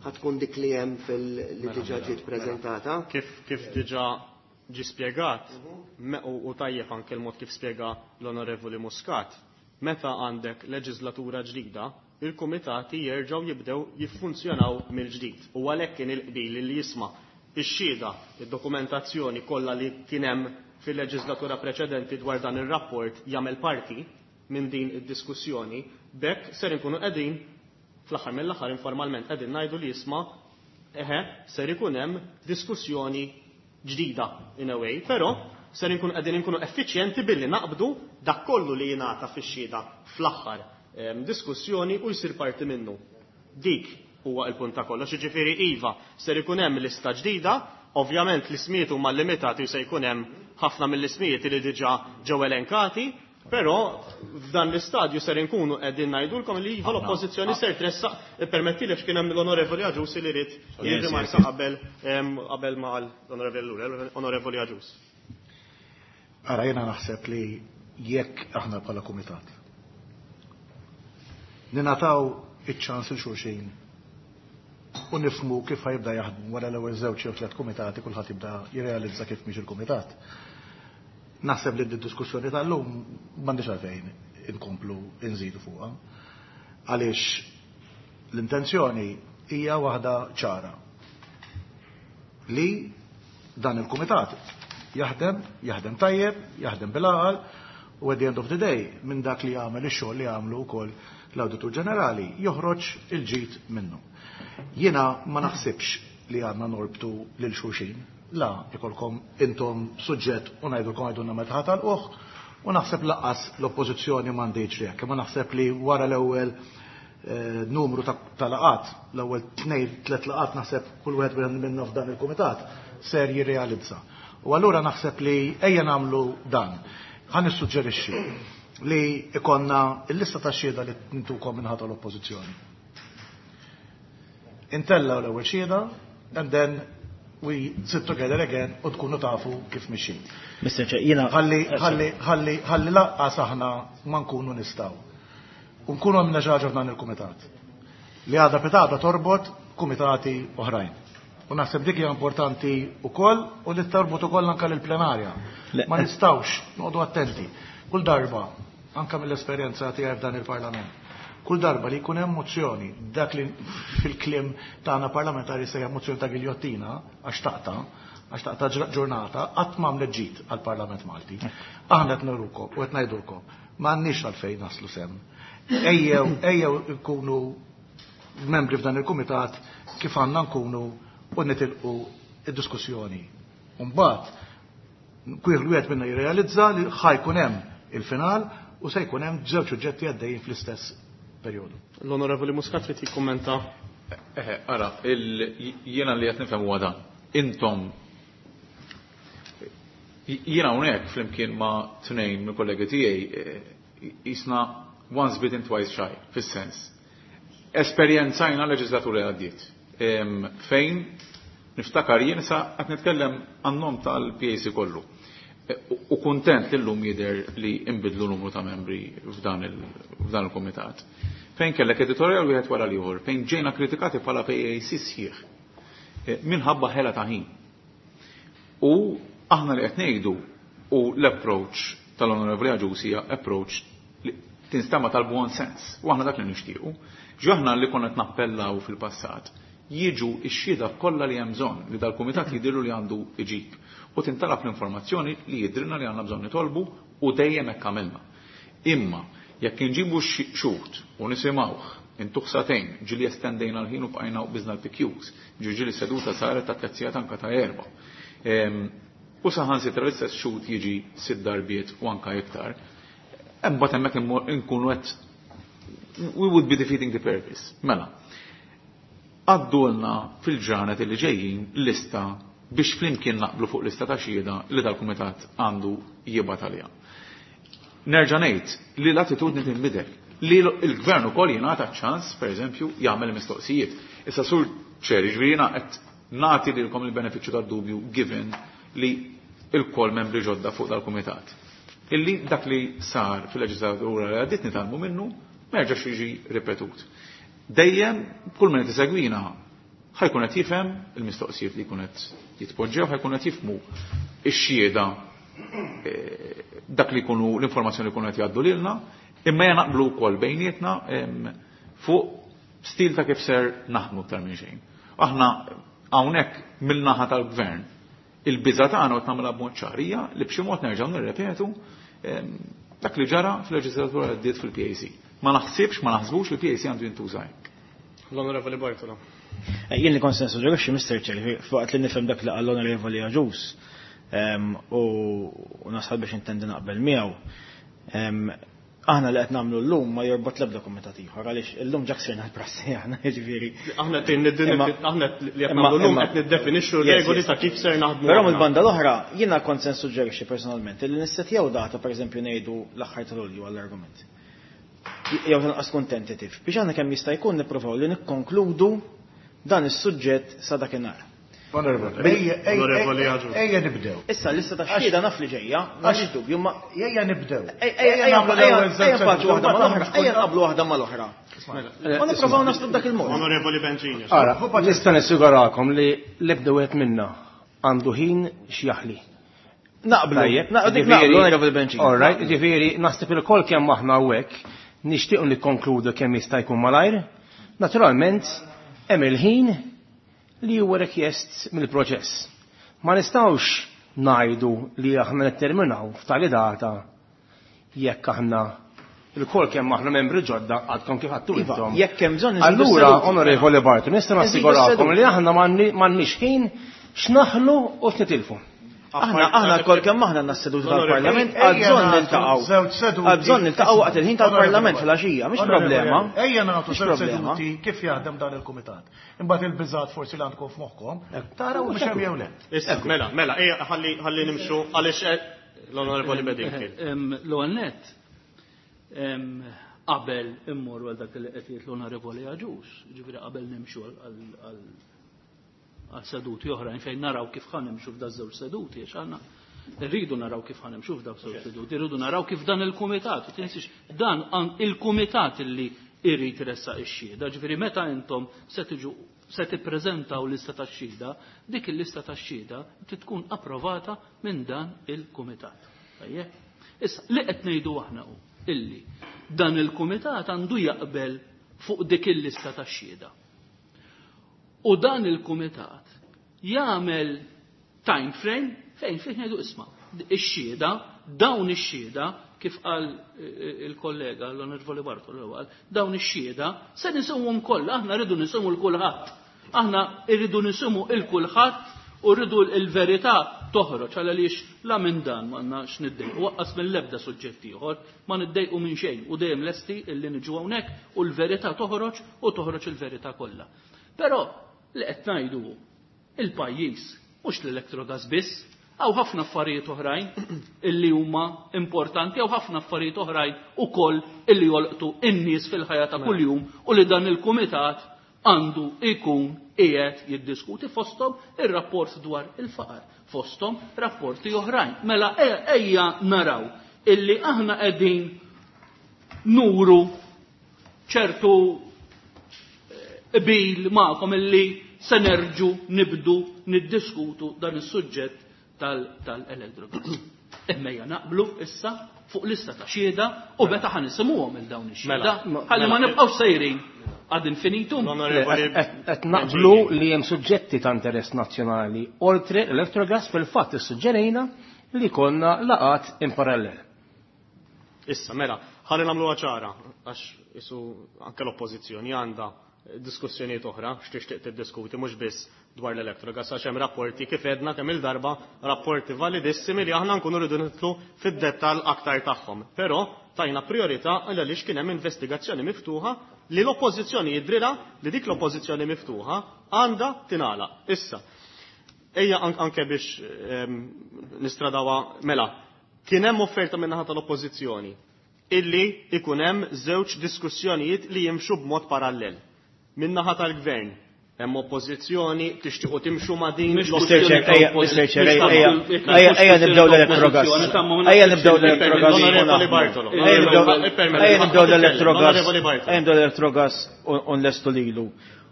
E: ħa tkun dik li hemm fil li diġà ġiet preżentata.
B: Kif diġà ġi spjegat, u tajjeb anke l-mod kif spjega l-Onorevoli Muscat, meta għandek leġislatura ġdida, il-kumitati jerġgħu jibdew jiffunzjonaw mill-ġdid. U għalhekk kien il-qbil li jisma' ix-xhieda, id-dokumentazzjoni kollha li kien hemm fil-leġislatura preċedenti dwar dan ir-rapport jagħmel parti minn din id-diskussjoni, b'hekk ser inkunu qegħdin fl-aħħar mill-aħħar informalment qegħdin ngħidu li jisma' eħe ser ikun hemm diskussjoni ġdida in a way, però ser inkunu qegħdin inkunu effiċjenti billi naqbdu dak kollu li jingħata fix-xhieda fl-aħħar. diskussjoni u jsir parti minnu. Dik huwa il-punt ta' kollox, jiġifieri iva, ser ikun hemm lista ġdida, ovvjament l-ismijiet huma limitati u se jkun hemm ħafna mill-ismijiet li diġà ġew elenkati, però f'dan l-istadju ser inkunu qegħdin ngħidulkom li iva l-oppożizzjoni ser tressaq, ippermettili għax kien hemm l-Onorevoli Agius li ried jirrimarka qabel qabel ma qal l-Onorevoli Ellul, l-Onorevoli Agius.
F: Ara jiena naħseb li jekk aħna bħala kumitat ningħataw iċ-ċans il xulxin u nifhmu kif ħa jibda jaħdmu wara l-ewwel żewġ jew tliet kumitati kulħadd jibda jirrealizza kif mhix il-kumitat. Naħseb li d-diskussjoni tal-lum m'għandix għalfejn inkomplu nżidu fuqha. Għaliex l-intenzjoni hija waħda ċara li dan il-kumitat jaħdem, jaħdem tajjeb, jaħdem bil-għaqal u at the end of the day minn dak li jagħmel ix-xogħol li jagħmlu wkoll l-Awditur Ġenerali joħroġ il-ġid minnu. Jiena ma naħsibx li għandna norbtu lil xulxin, la ikolkom intom suġġett u ngħidulkom għidulna meta ħa tagħlquh u naħseb lanqas l-oppożizzjoni m'għandhiex hekk, imma naħseb li wara l-ewwel numru ta' laqgħat, l-ewwel tnejn tliet laqgħat naħseb kull wieħed minna f'dan il-kumitat ser jirrealizza. U allura naħseb li ejja nagħmlu dan. Ħa nissuġġerixxi li ikonna il-lista ta' xhieda li ntukom min-naħa tal-oppożizzjoni. Intellgħu l-ewwel xhieda and then we sit together again u tkunu tafu kif mixin.
D: Mr. Chair, jiena
F: Ħalli ħalli ħalli ħalli lanqas aħna ma nkunu nistgħu. U nkunu għamilna xi ħaġa f'dan il-kumitat. Li għada pitgħada torbot kumitati oħrajn. U naħseb dik hija importanti wkoll u li torbot ukoll anke lill-plenarja. Ma nistgħux noqogħdu attenti. Kull darba, anke mill-esperjenza tiegħi f'dan il-Parlament, kull darba li jkun hemm mozzjoni, dak li fil-kliem tagħna parlamentari sejja mozzjoni ta' giljottina għax taqta', għax taqta' ġurnata, qatt m'għamlet ġid għall-Parlament Malti. Aħna qed nurukom u qed ngħidulkom, m'għandniex għalfejn naslu s'hemm. Ejjew, ejjew nkunu membri f'dan il-kumitat kif għandna nkunu u nitilqu id-diskussjoni. Mbagħad kull wieħed minna jirrealizza li ħa jkun hemm il-final u se jkun hemm żewġ suġġetti għaddejjin fl-istess perjodu.
B: L-Onorevoli Muscat trid jikkummenta.
C: Eħe, ara, jiena li qed nifhem huwa dan. Intom jiena hawnhekk flimkien ma' tnejn mill-kollegi tiegħi jisna once bitten twice shy, fis-sens. Esperjenzajna leġislatura li għaddiet. Fejn niftakar jien sa qed nitkellem għan-nom tal-PAC kollu. U kuntent li llum jidher li imbidlu numru ta' membri f'dan il-kumitat. Fejn kellek editorial wieħed wara l-ieħor, fejn ġejna kritikati bħala PAC sħiħ minħabba ħela ta' ħin. U aħna li qed ngħidu u l-approach tal-Onorevoli Agius hija approach li tinstema' tal-buon sens. U aħna dak li nixtiequ. Ġo aħna li konna qed nappellaw fil-passat jiġu x-xhieda kollha li hemm bżonn li dal-kumitat jidhirlu li għandu iġib. U tintalab l-informazzjoni li jidhrilna li għandna bżonn nitolbu u dejjem hekk għamilna. Imma jekk inġibu xhud u nisimgħuh intuh sagħtejn, ġieli estendejna l-ħin u bqajna u biżna l-PQs, ġieli seduta saret ta' tliet sigħat anka ta' erba'. U saħansitra l-istess xhud jiġi sitt darbiet u anka iktar. Imbagħad hemmhekk inkunu qed we would be defeating the purpose. Mela, għaddulna fil-ġranet li ġejjin lista biex flimkien naqblu fuq lista ta' xhieda li dal-kumitat għandu jibgħat għaliha. Nerġa' ngħid li l-attitudni tinbidel, li l-gvern ukoll jingħata ċans, pereżempju, jagħmel mistoqsijiet. Issa sur Chair, jiġifieri jiena qed nagħti lilkom il-benefiċċju tad-dubju given li il-kol membri ġodda fuq dal-kumitat. Illi dak li sar fil-leġislatura li għaddiet nitgħallmu minnu ma jerġax jiġi ripetut. Dejjem kull min qed isegwina ħa jkun qed jifhem il-mistoqsijiet li jkun qed jitpoġġew, ħa jkun qed jifhmu x-xhieda dak li jkunu l-informazzjoni li jkunu qed jgħaddu lilna, imma ejja naqblu wkoll bejnietna fuq stil ta' kif ser naħdmu aktar minn xejn. Aħna hawnhekk mill-naħa tal-gvern il-biża' tagħna qed nagħmilha b'mod ċar hija li b'xi mod nerġgħu nirrepetu dak li ġara fil-leġislatura li għaddiet fil-PAC. Ma naħsibx, ma naħsbux li l-PAC għandu jintuża hekk.
B: L-Onorevoli Bartolo.
D: Jien li kont se nissuġġerixxi, Mr. Chair, waqt li nifhem dak li qal l-Onorevoli Agius u nasal biex intendi naqbel miegħu. Aħna li qed nagħmlu llum ma jorbot l-ebda kumitat ieħor għaliex illum ġa ksirna l-prassi aħna jiġifieri.
B: Aħna aħna li qed nagħmlu llum qed niddefinixxu regoli ta' kif ser naħdmu.
D: Però mill-banda l-oħra jiena kont se nissuġġerixxi personalment li nissettjaw data pereżempju ngħidu l-aħħar ta' Lulju għall-argument. Jew tanqas tkun tentative biex aħna kemm jista' jkun nippruvaw li nikkonkludu dan is-suġġett sa dakinhar.
F: Onorevoli, ejja nibdew.
D: Issa l-lista ta' xhieda naf li ġejja, m'għandix dubju, ma
F: ejja nibdew.
D: Ejja nagħmlu waħda mal-oħra, ejja nqablu waħda mal-oħra. Ma nipprovaw naslu b'dak il-mod.
B: Onorevoli Bencini.
I: Ara, nista' nissigurakom li l-ebda wieħed minna għandu ħin x'jaħli.
D: Naqblu, naqblu, Onorevoli Bencini.
I: All right, ġifieri naħseb il-kol kemm aħna hawnhekk nixtiequ nikkonkludu kemm jista' jkun malajr. Naturalment, hemm il-ħin li huwa rikjest mill-proċess. Ma nistgħux ngħidu li aħna nitterminaw f'tali data jekk aħna il-kol kemm aħna membri ġodda għadkom kif għadtu
D: Iva,
I: intom.
D: jekk hemm bżonn inżidu
I: Allura,
D: s-seduti.
I: Onorevoli Bartu, nista'
D: Inżidu
I: nassigurakom
D: s-seduti.
I: li aħna m'għandniex ħin x'naħlu u x'nitilfu.
D: Aħna kol kemm aħna għandna s-seduti tal-Parlament, għal bżonn niltaqgħu. Għal bżonn niltaqgħu waqt il-ħin tal-Parlament fil-għaxija, mhix problema.
F: Ejja nagħtu
D: Mhix
F: żewġ
D: problema.
F: seduti kif jaħdem dan il-kumitat. Imbagħad il-biżgħat forsi li għandkom f'moħħkom, taraw biex hemm jew le.
B: Issa, mela, mela, ejja ħalli ħalli nimxu għaliex l-Onorevoli Bedingfield.
G: L-ewwel nett, qabel immorru għal dak li qed jgħid l-Onorevoli Agius, jiġifieri qabel nimxu għal seduti oħrajn fejn naraw kif ħa nimxu f'da żewġ seduti, għax aħna rridu naraw kif ħa nimxu f'da żewġ seduti, rridu naraw kif dan il-kumitat, u tinsiex dan il-kumitat illi irrid iressaq ix-xhieda, ġifieri meta intom se tiġu se tippreżentaw lista tax-xhieda, dik il-lista tax-xhieda trid tkun approvata minn dan il-kumitat. Tajjeb? Issa, li qed ngħidu aħna hu illi dan il-kumitat għandu jaqbel fuq dik il-lista tax-xhieda. U dan il-kumitat jagħmel time frame fejn fih ngħidu isma' ix-xhieda, dawn ix-xhieda, kif qal il-kollega l-Onorevoli Bartolo qal, dawn ix-xhieda se nisimgħuhom kollha, aħna rridu nisimgħu l kulħadd. Aħna rridu nisimgħu il kulħadd u rridu l-verità toħroġ għal għaliex la minn dan ma għandna x'niddejqu, waqqas mill-ebda suġġett ieħor, ma niddejqu minn xejn u dejjem lesti illi niġu hawnhekk u l-verità toħroġ u toħroġ il-verità kollha. Però li qed ngħidu hu, il-pajjiż mhux l-Electrogas biss, hawn ħafna affarijiet oħrajn illi huma importanti, hawn ħafna affarijiet oħrajn ukoll illi jolqtu in-nies fil-ħajja ta' kuljum u li dan il-kumitat għandu ikun qiegħed jiddiskuti fosthom ir-rapport dwar il-faqar, fosthom rapporti oħrajn. Mela ejja naraw illi aħna qegħdin nuru ċertu qbil magħkom illi se nerġu nibdu niddiskutu dan is-suġġett tal-Electrogas. Imma ejja naqblu issa fuq lista ta' xhieda u meta ħa nisimgħuhom il dawn ix-xhieda.
I: Mela,
G: Ħalli ma
I: mela.
G: nibqgħux sejrin ad infinitum.
I: Qed naqblu li hemm suġġetti ta' interess nazzjonali oltre l-Electrogas fil-fatt issuġġerejna li konna laqat in parallel.
B: Issa, mela, ħalli nagħmluha ċara, għax isu anke l-oppożizzjoni għandha diskussjonijiet oħra x'tixtieq tiddiskuti mhux biss dwar l-Electrogas għax hemm rapporti kif edna kemm il-darba rapporti validissimi li aħna nkunu rridu nidħlu fid-dettall aktar tagħhom. Però tajna priorità għaliex kien hemm investigazzjoni miftuħa li l-oppożizzjoni jidrilha li dik l-oppożizzjoni miftuħa għandha tingħalaq. Issa, ejja anke biex nistradawa mela, kien hemm offerta min-naħa tal-oppożizzjoni illi ikun hemm żewġ diskussjonijiet li jimxu b'mod parallel. Min-naħa tal-gvern hemm oppożizzjoni tixtiequ timxu ma' din
G: Mhix
D: Mr. Chair,
G: kwestjoni ta'
D: ejja, Mr. Chair, ejja, ejja, ejja, ejja nibdew l-Electrogas. Ejja nibdew l-Electrogas.
B: Onorevoli Bartolo.
D: Ejja nibdew ejja nibdew l-Electrogas.
B: Onorevoli Bartolo.
D: Ejja nibdew l-Electrogas u nlestu lilu.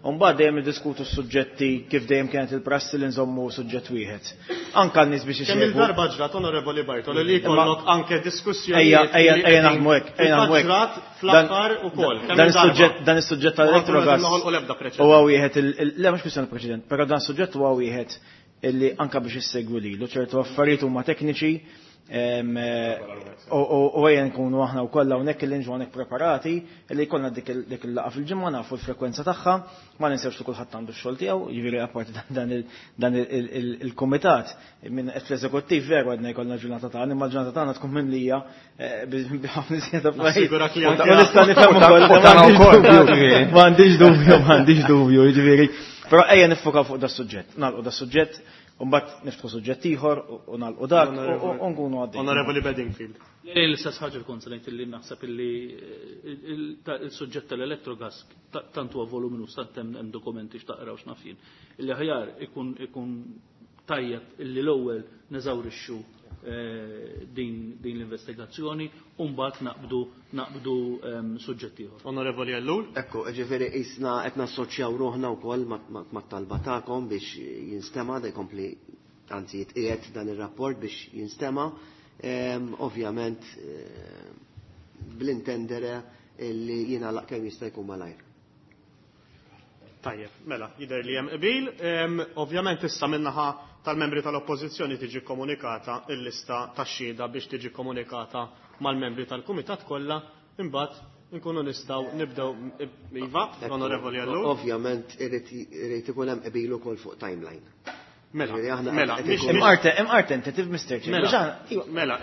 D: U mbagħad dejjem niddiskutu s-suġġetti kif dejjem kienet il-prassi li nżommu suġġett wieħed. Anka n-nies biex
B: Kemm
D: isegwu.
B: il-darba ġrat, Onorevoli Bartolo, li jkollok anke diskussjoni.
D: Ejja, ejja, ejja naħdmu hekk, ejja naħdmu hekk.
B: Ġrat fl-aħħar ukoll. Kemm
D: Dan
B: il-darba?
D: is-suġġett dan is-suġġett tal-Electrogas
B: Noħolqu l-ebda preċedent.
D: huwa wieħed il le mhux kwistjoni preċedent, però dan is-suġġett huwa wieħed illi anka biex issegwu lilu ċertu affarijiet huma tekniċi U ejja nkunu aħna wkoll hawnhekk li nġu hawnhekk preparati li jkollna dik il-laqgħa fil-ġimgħa, nafu l-frekwenza tagħha, ma ninsewx li kulħadd għandu x-xogħol tiegħu, jiġifieri apparti dan il-kumitat minn qed fl-eżekuttiv veru għedna jkollna ġurnata tagħna, imma l-ġurnata tagħna tkun mimlija b'ħafna iżjed affarijiet. Nista' nifhem ukoll, m'għandix dubju, m'għandix dubju, jiġifieri. Però ejja niffokaw fuq da suġġett, nagħlqu da suġġett, u mbagħad niftħu suġġett ieħor u nagħlqu dak u nkunu għaddejjin.
B: Onorevoli Bedingfield.
G: L-istess ħaġa kont se ngħid illi naħseb illi il-suġġett tal-elettrogas tant huwa voluminus, tant hemm dokumenti x'taqra u x'naf jien. Illi aħjar ikun tajjeb illi l-ewwel neżawrixxu din l-investigazzjoni u mbagħad naqbdu suġġett ieħor.
B: Onorevoli Ellul.
E: Ekku, ġifieri qisna qed nassoċjaw ruħna wkoll mat-talba tagħkom biex jinstema' da jkompli, anzi jitqiegħed dan ir-rapport biex jinstema'. Ovvjament bl-intendere illi jingħalaq kemm jista' jkun malajr.
B: Tajjeb, mela, jidher li hemm qbil. Ovvjament issa min-naħa tal-membri tal-Oppożizzjoni tiġi komunikata l-lista tax-xhieda biex tiġi komunikata mal-membri tal-Kumitat kollha, imbagħad nkunu nistgħu nibdew. Iva, l-Onorevoli Ellul.
E: Ovvjament irid ikun hemm qbil ukoll fuq timeline.
B: Mela,
E: Ġifieri aħna
B: mela,
E: qed
B: mhix
E: ikun
D: Imqarte tentative, Mister Chair.
B: Mela,
D: Biex aħna, iva.
B: mela,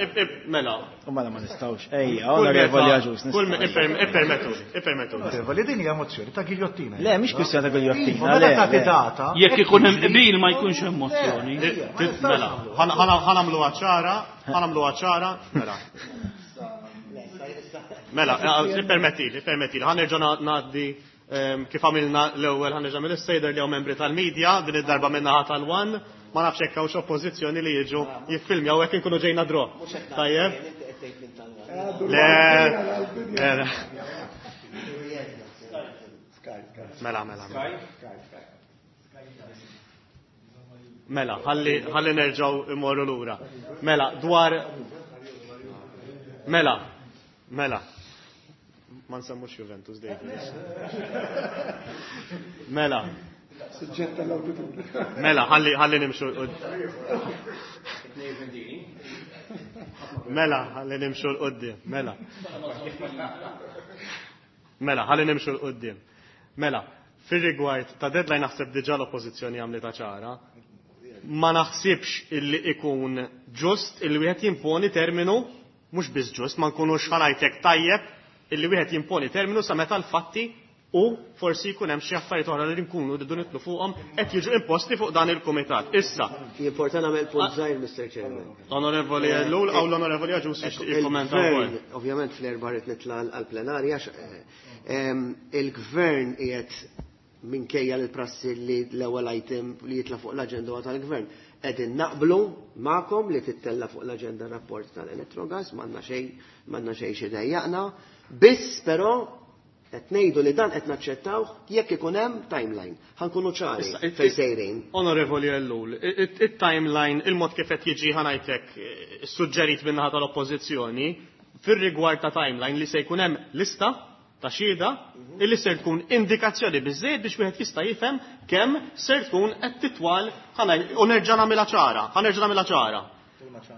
B: mela.
D: U mela ma nistgħux. Ejja,
B: Kull
D: Onorevoli
B: meta-
D: Agius,
B: kull
D: nistgħu.
B: ippermettuli, ippermettuli.
F: Onorevoli, din hija mozzjoni ta' ghigliottina.
D: Le, mhix kwistjoni ta' ghigliottina,
F: Iva, meta
D: le,
F: tagħti
D: le.
F: data,
G: Jekk ikun hemm
F: jiġri-
G: qbil ma jkunx hemm mozzjoni.
F: Le, ma nistax
B: Mela,
F: nagħmlu.
B: ħanamluha ċara, ħanamluha ċara, mela. Mela, ippermettili, ippermettili, ħanerġa' ngħaddi kif għamilna l-ewwel, ħanerġa' mill-sejder li hawn membri tal-medja, din id-darba min-naħa tal-One, ma nafx hekk hawnx oppożizzjoni li jiġu jiffilmjaw hekk inkunu ġejna draw. Tajjeb? Le, le, le. Mela, mela, mela. Mela, ħalli nerġgħu immorru lura. Mela, dwar Mela, mela. Ma nsemmux Juventus, David. Mela.
J: Suġġett tal-awditur.
B: Mela, ħalli nimxu l-qud-. Mela, ħalli nimxu l-qudiem. Mela. Mela, ħalli nimxu l-qudiem. Mela, fir-rigward ta' deadline naħseb diġà l-oppożizzjoni għamlitha ċara. Ma naħsibx illi ikun ġust illi wieħed jimponi terminu, mhux biss ġust, ma nkunux ħanajtek tajjeb illi wieħed jimponi terminu sa meta l-fatti u forsi jkun hemm xi affarijiet oħra li nkunu rridu nitlu fuqhom qed jiġu imposti fuq dan il-kumitat. Issa.
E: Jimporta nagħmel punt żgħir, Mister Chairman.
B: Onorevoli Ellul, aw l-Onorevoli Agius jixtieq jikkommenta wkoll.
E: Il-Gvern, ovvjament fl-erba' rrid nitla' għall-plenarja, il-Gvern qiegħed minkejja l-prassi li l-ewwel item li jitla' fuq l-aġenda huwa tal-Gvern. Qegħdin naqblu magħkom li tittella' fuq l-aġenda rapport tal-Electrogas, m'għandna xejn xi dejjaqna, biss però qed ngħidu li dan qed naċċettawh jekk ikun hemm timeline. Ħankunu ċari
B: Issa,
E: fejn sejrin.
B: Onorevoli Ellul, it-timeline, il-mod kif qed jiġi ħanajtek suġġerit min-naħa tal-Oppożizzjoni fir-rigward ta' timeline li se jkun hemm lista ta' xhieda illi ser tkun indikazzjoni biżżejjed biex wieħed jista' jifhem kemm ser tkun qed titwal u nerġa' nagħmilha ċara, ħanerġa' nagħmilha ċara.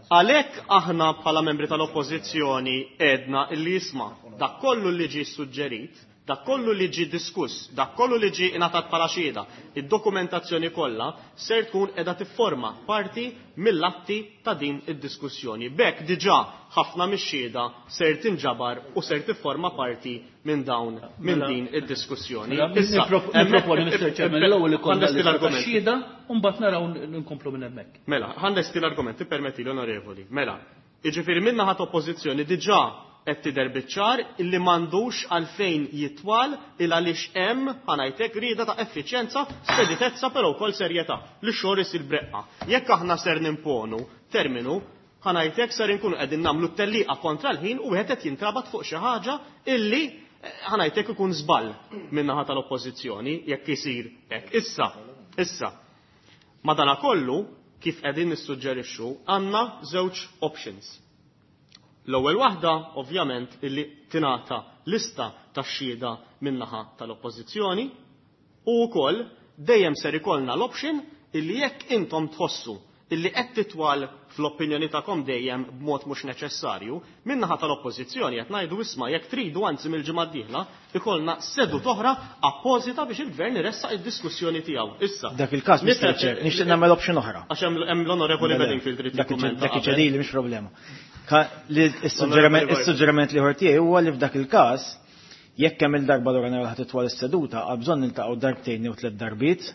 B: Għalhekk aħna bħala membri tal-Oppożizzjoni għedna illi jisma' dak kollu li ġie suġġerit, dak kollu li ġie diskuss, dak kollu li ġie ingħatat bħala xhieda, id-dokumentazzjoni kollha ser tkun qiegħda tifforma parti mill-atti ta' din id-diskussjoni. B'hekk diġà ħafna mix-xhieda ser tinġabar u ser tifforma parti minn dawn, minn
G: Mela,
B: din id-diskussjoni.
G: Mela,
B: Issa,
G: niproponi, Mister Chairman, l-ewwel ikollna
B: ħanlesti
G: lista ta'
B: l-argument.
G: xhieda u mbagħad naraw nkomplu minn hemmhekk.
B: Mela, ħanlesti l-argument, tippermetti l-onorevoli. Mela, jiġifieri minn naħa oppożizzjoni diġà qed tidher biċ-ċar illi m'għandux għalfejn jitwal il għaliex hemm ħanajtek rieda ta' effiċjenza, speditezza però wkoll serjetà li x-xogħol isir breqqa. Jekk aħna ser nimponu terminu, ħanajtek ser inkunu qegħdin nagħmlu t-tellieqa kontra l-ħin u wieħed qed jintrabat fuq xi ħaġa illi ħanajtek ikun żball min-naħa tal-oppożizzjoni jekk isir hekk. Issa, issa, madanakollu kif qegħdin nissuġġerixxu għandna żewġ options. L-ewwel waħda ovvjament illi tingħata lista tax-xhieda min-naħa tal-oppożizzjoni u wkoll dejjem ser ikollna l-option illi jekk intom tħossu illi qed titwal fl-opinjoni tagħkom dejjem b'mod mhux neċessarju, min-naħa tal-Oppożizzjoni qed ngħidu isma' jekk tridu anzi mill-ġimgħa d-dieħla ikollna seduta oħra appożita biex il-Gvern iressaq id-diskussjoni tiegħu. Issa.
D: Dak il-każ, Mr. Chair, nixtieq nagħmel option oħra.
B: Għax hemm l-Onorevoli Bedingfield trid
D: tikkummenta. Dak iċedili mhix problema. Is-suġġeriment li tiegħi huwa li f'dak il-każ jekk hemm il-darba l nara ħadd titwal is-seduta, għal bżonn niltaqgħu darbtejn jew tliet darbiet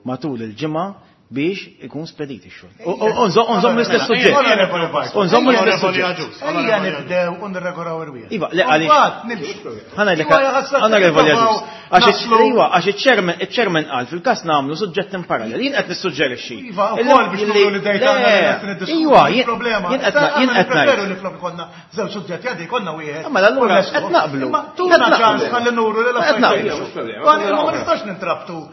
D: matul il-ġimgħa biex ikun spedit ix-xogħol. Unżommu l-istess suġġett. Unżommu l-istess suġġett.
F: Ejja nibdew u nirregoraw irwieħ.
D: Iva, le għaliex. Ħanajlek, onorevoli Agius. Għax iva, għax iċ-chairman qal fil-każ nagħmlu suġġett in parallel. Jien qed nissuġġerixxi.
F: Iva, wkoll biex nuru li dejta
D: Iva, jien qed jien qed
F: ngħid. li flok konna żewġ suġġetti għadi konna wieħed.
D: Mela allura qed naqblu.
F: Tuna ċans ħalli nuru li l-affarijiet. Ma nistax nintrabtu.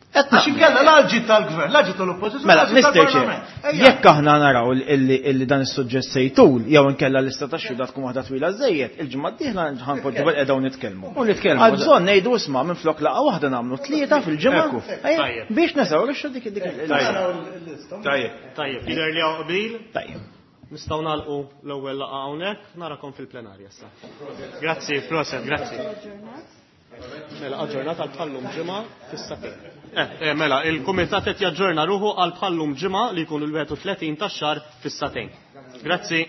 F: Għax inkella l-ġid tal-gvern, l-ġid tal-oppożizzjoni.
D: Mela, Mr. Chair, jekk aħna naraw illi dan is-suġġett se jtul, jew inkella l-lista ta' xhieda tkun waħda twila żejjed, il-ġimgħa d-dieħla ħanpoġġu bil-qeda u nitkellmu.
I: U nitkellmu.
D: Għal bżonn ngħidu isma' minflok laqgħa waħda nagħmlu tlieta fil-ġimgħa biex nesawrixxu dik dik
B: Tajjeb. Tajjeb, jidher li hawn qbil.
D: Tajjeb.
B: Nistgħu nagħlqu l-ewwel laqgħa hawnhekk, narakom fil-plenarja issa. Grazzi, proset, grazzi. Mela, aġġornat għal bħallum ġimgħa fis-satejn. Eh, mela, il-kumitat qed jaġġorna ruħu għal bħallum ġimgħa li jkun il-31 tax-xahar fis-satejn. Grazzi.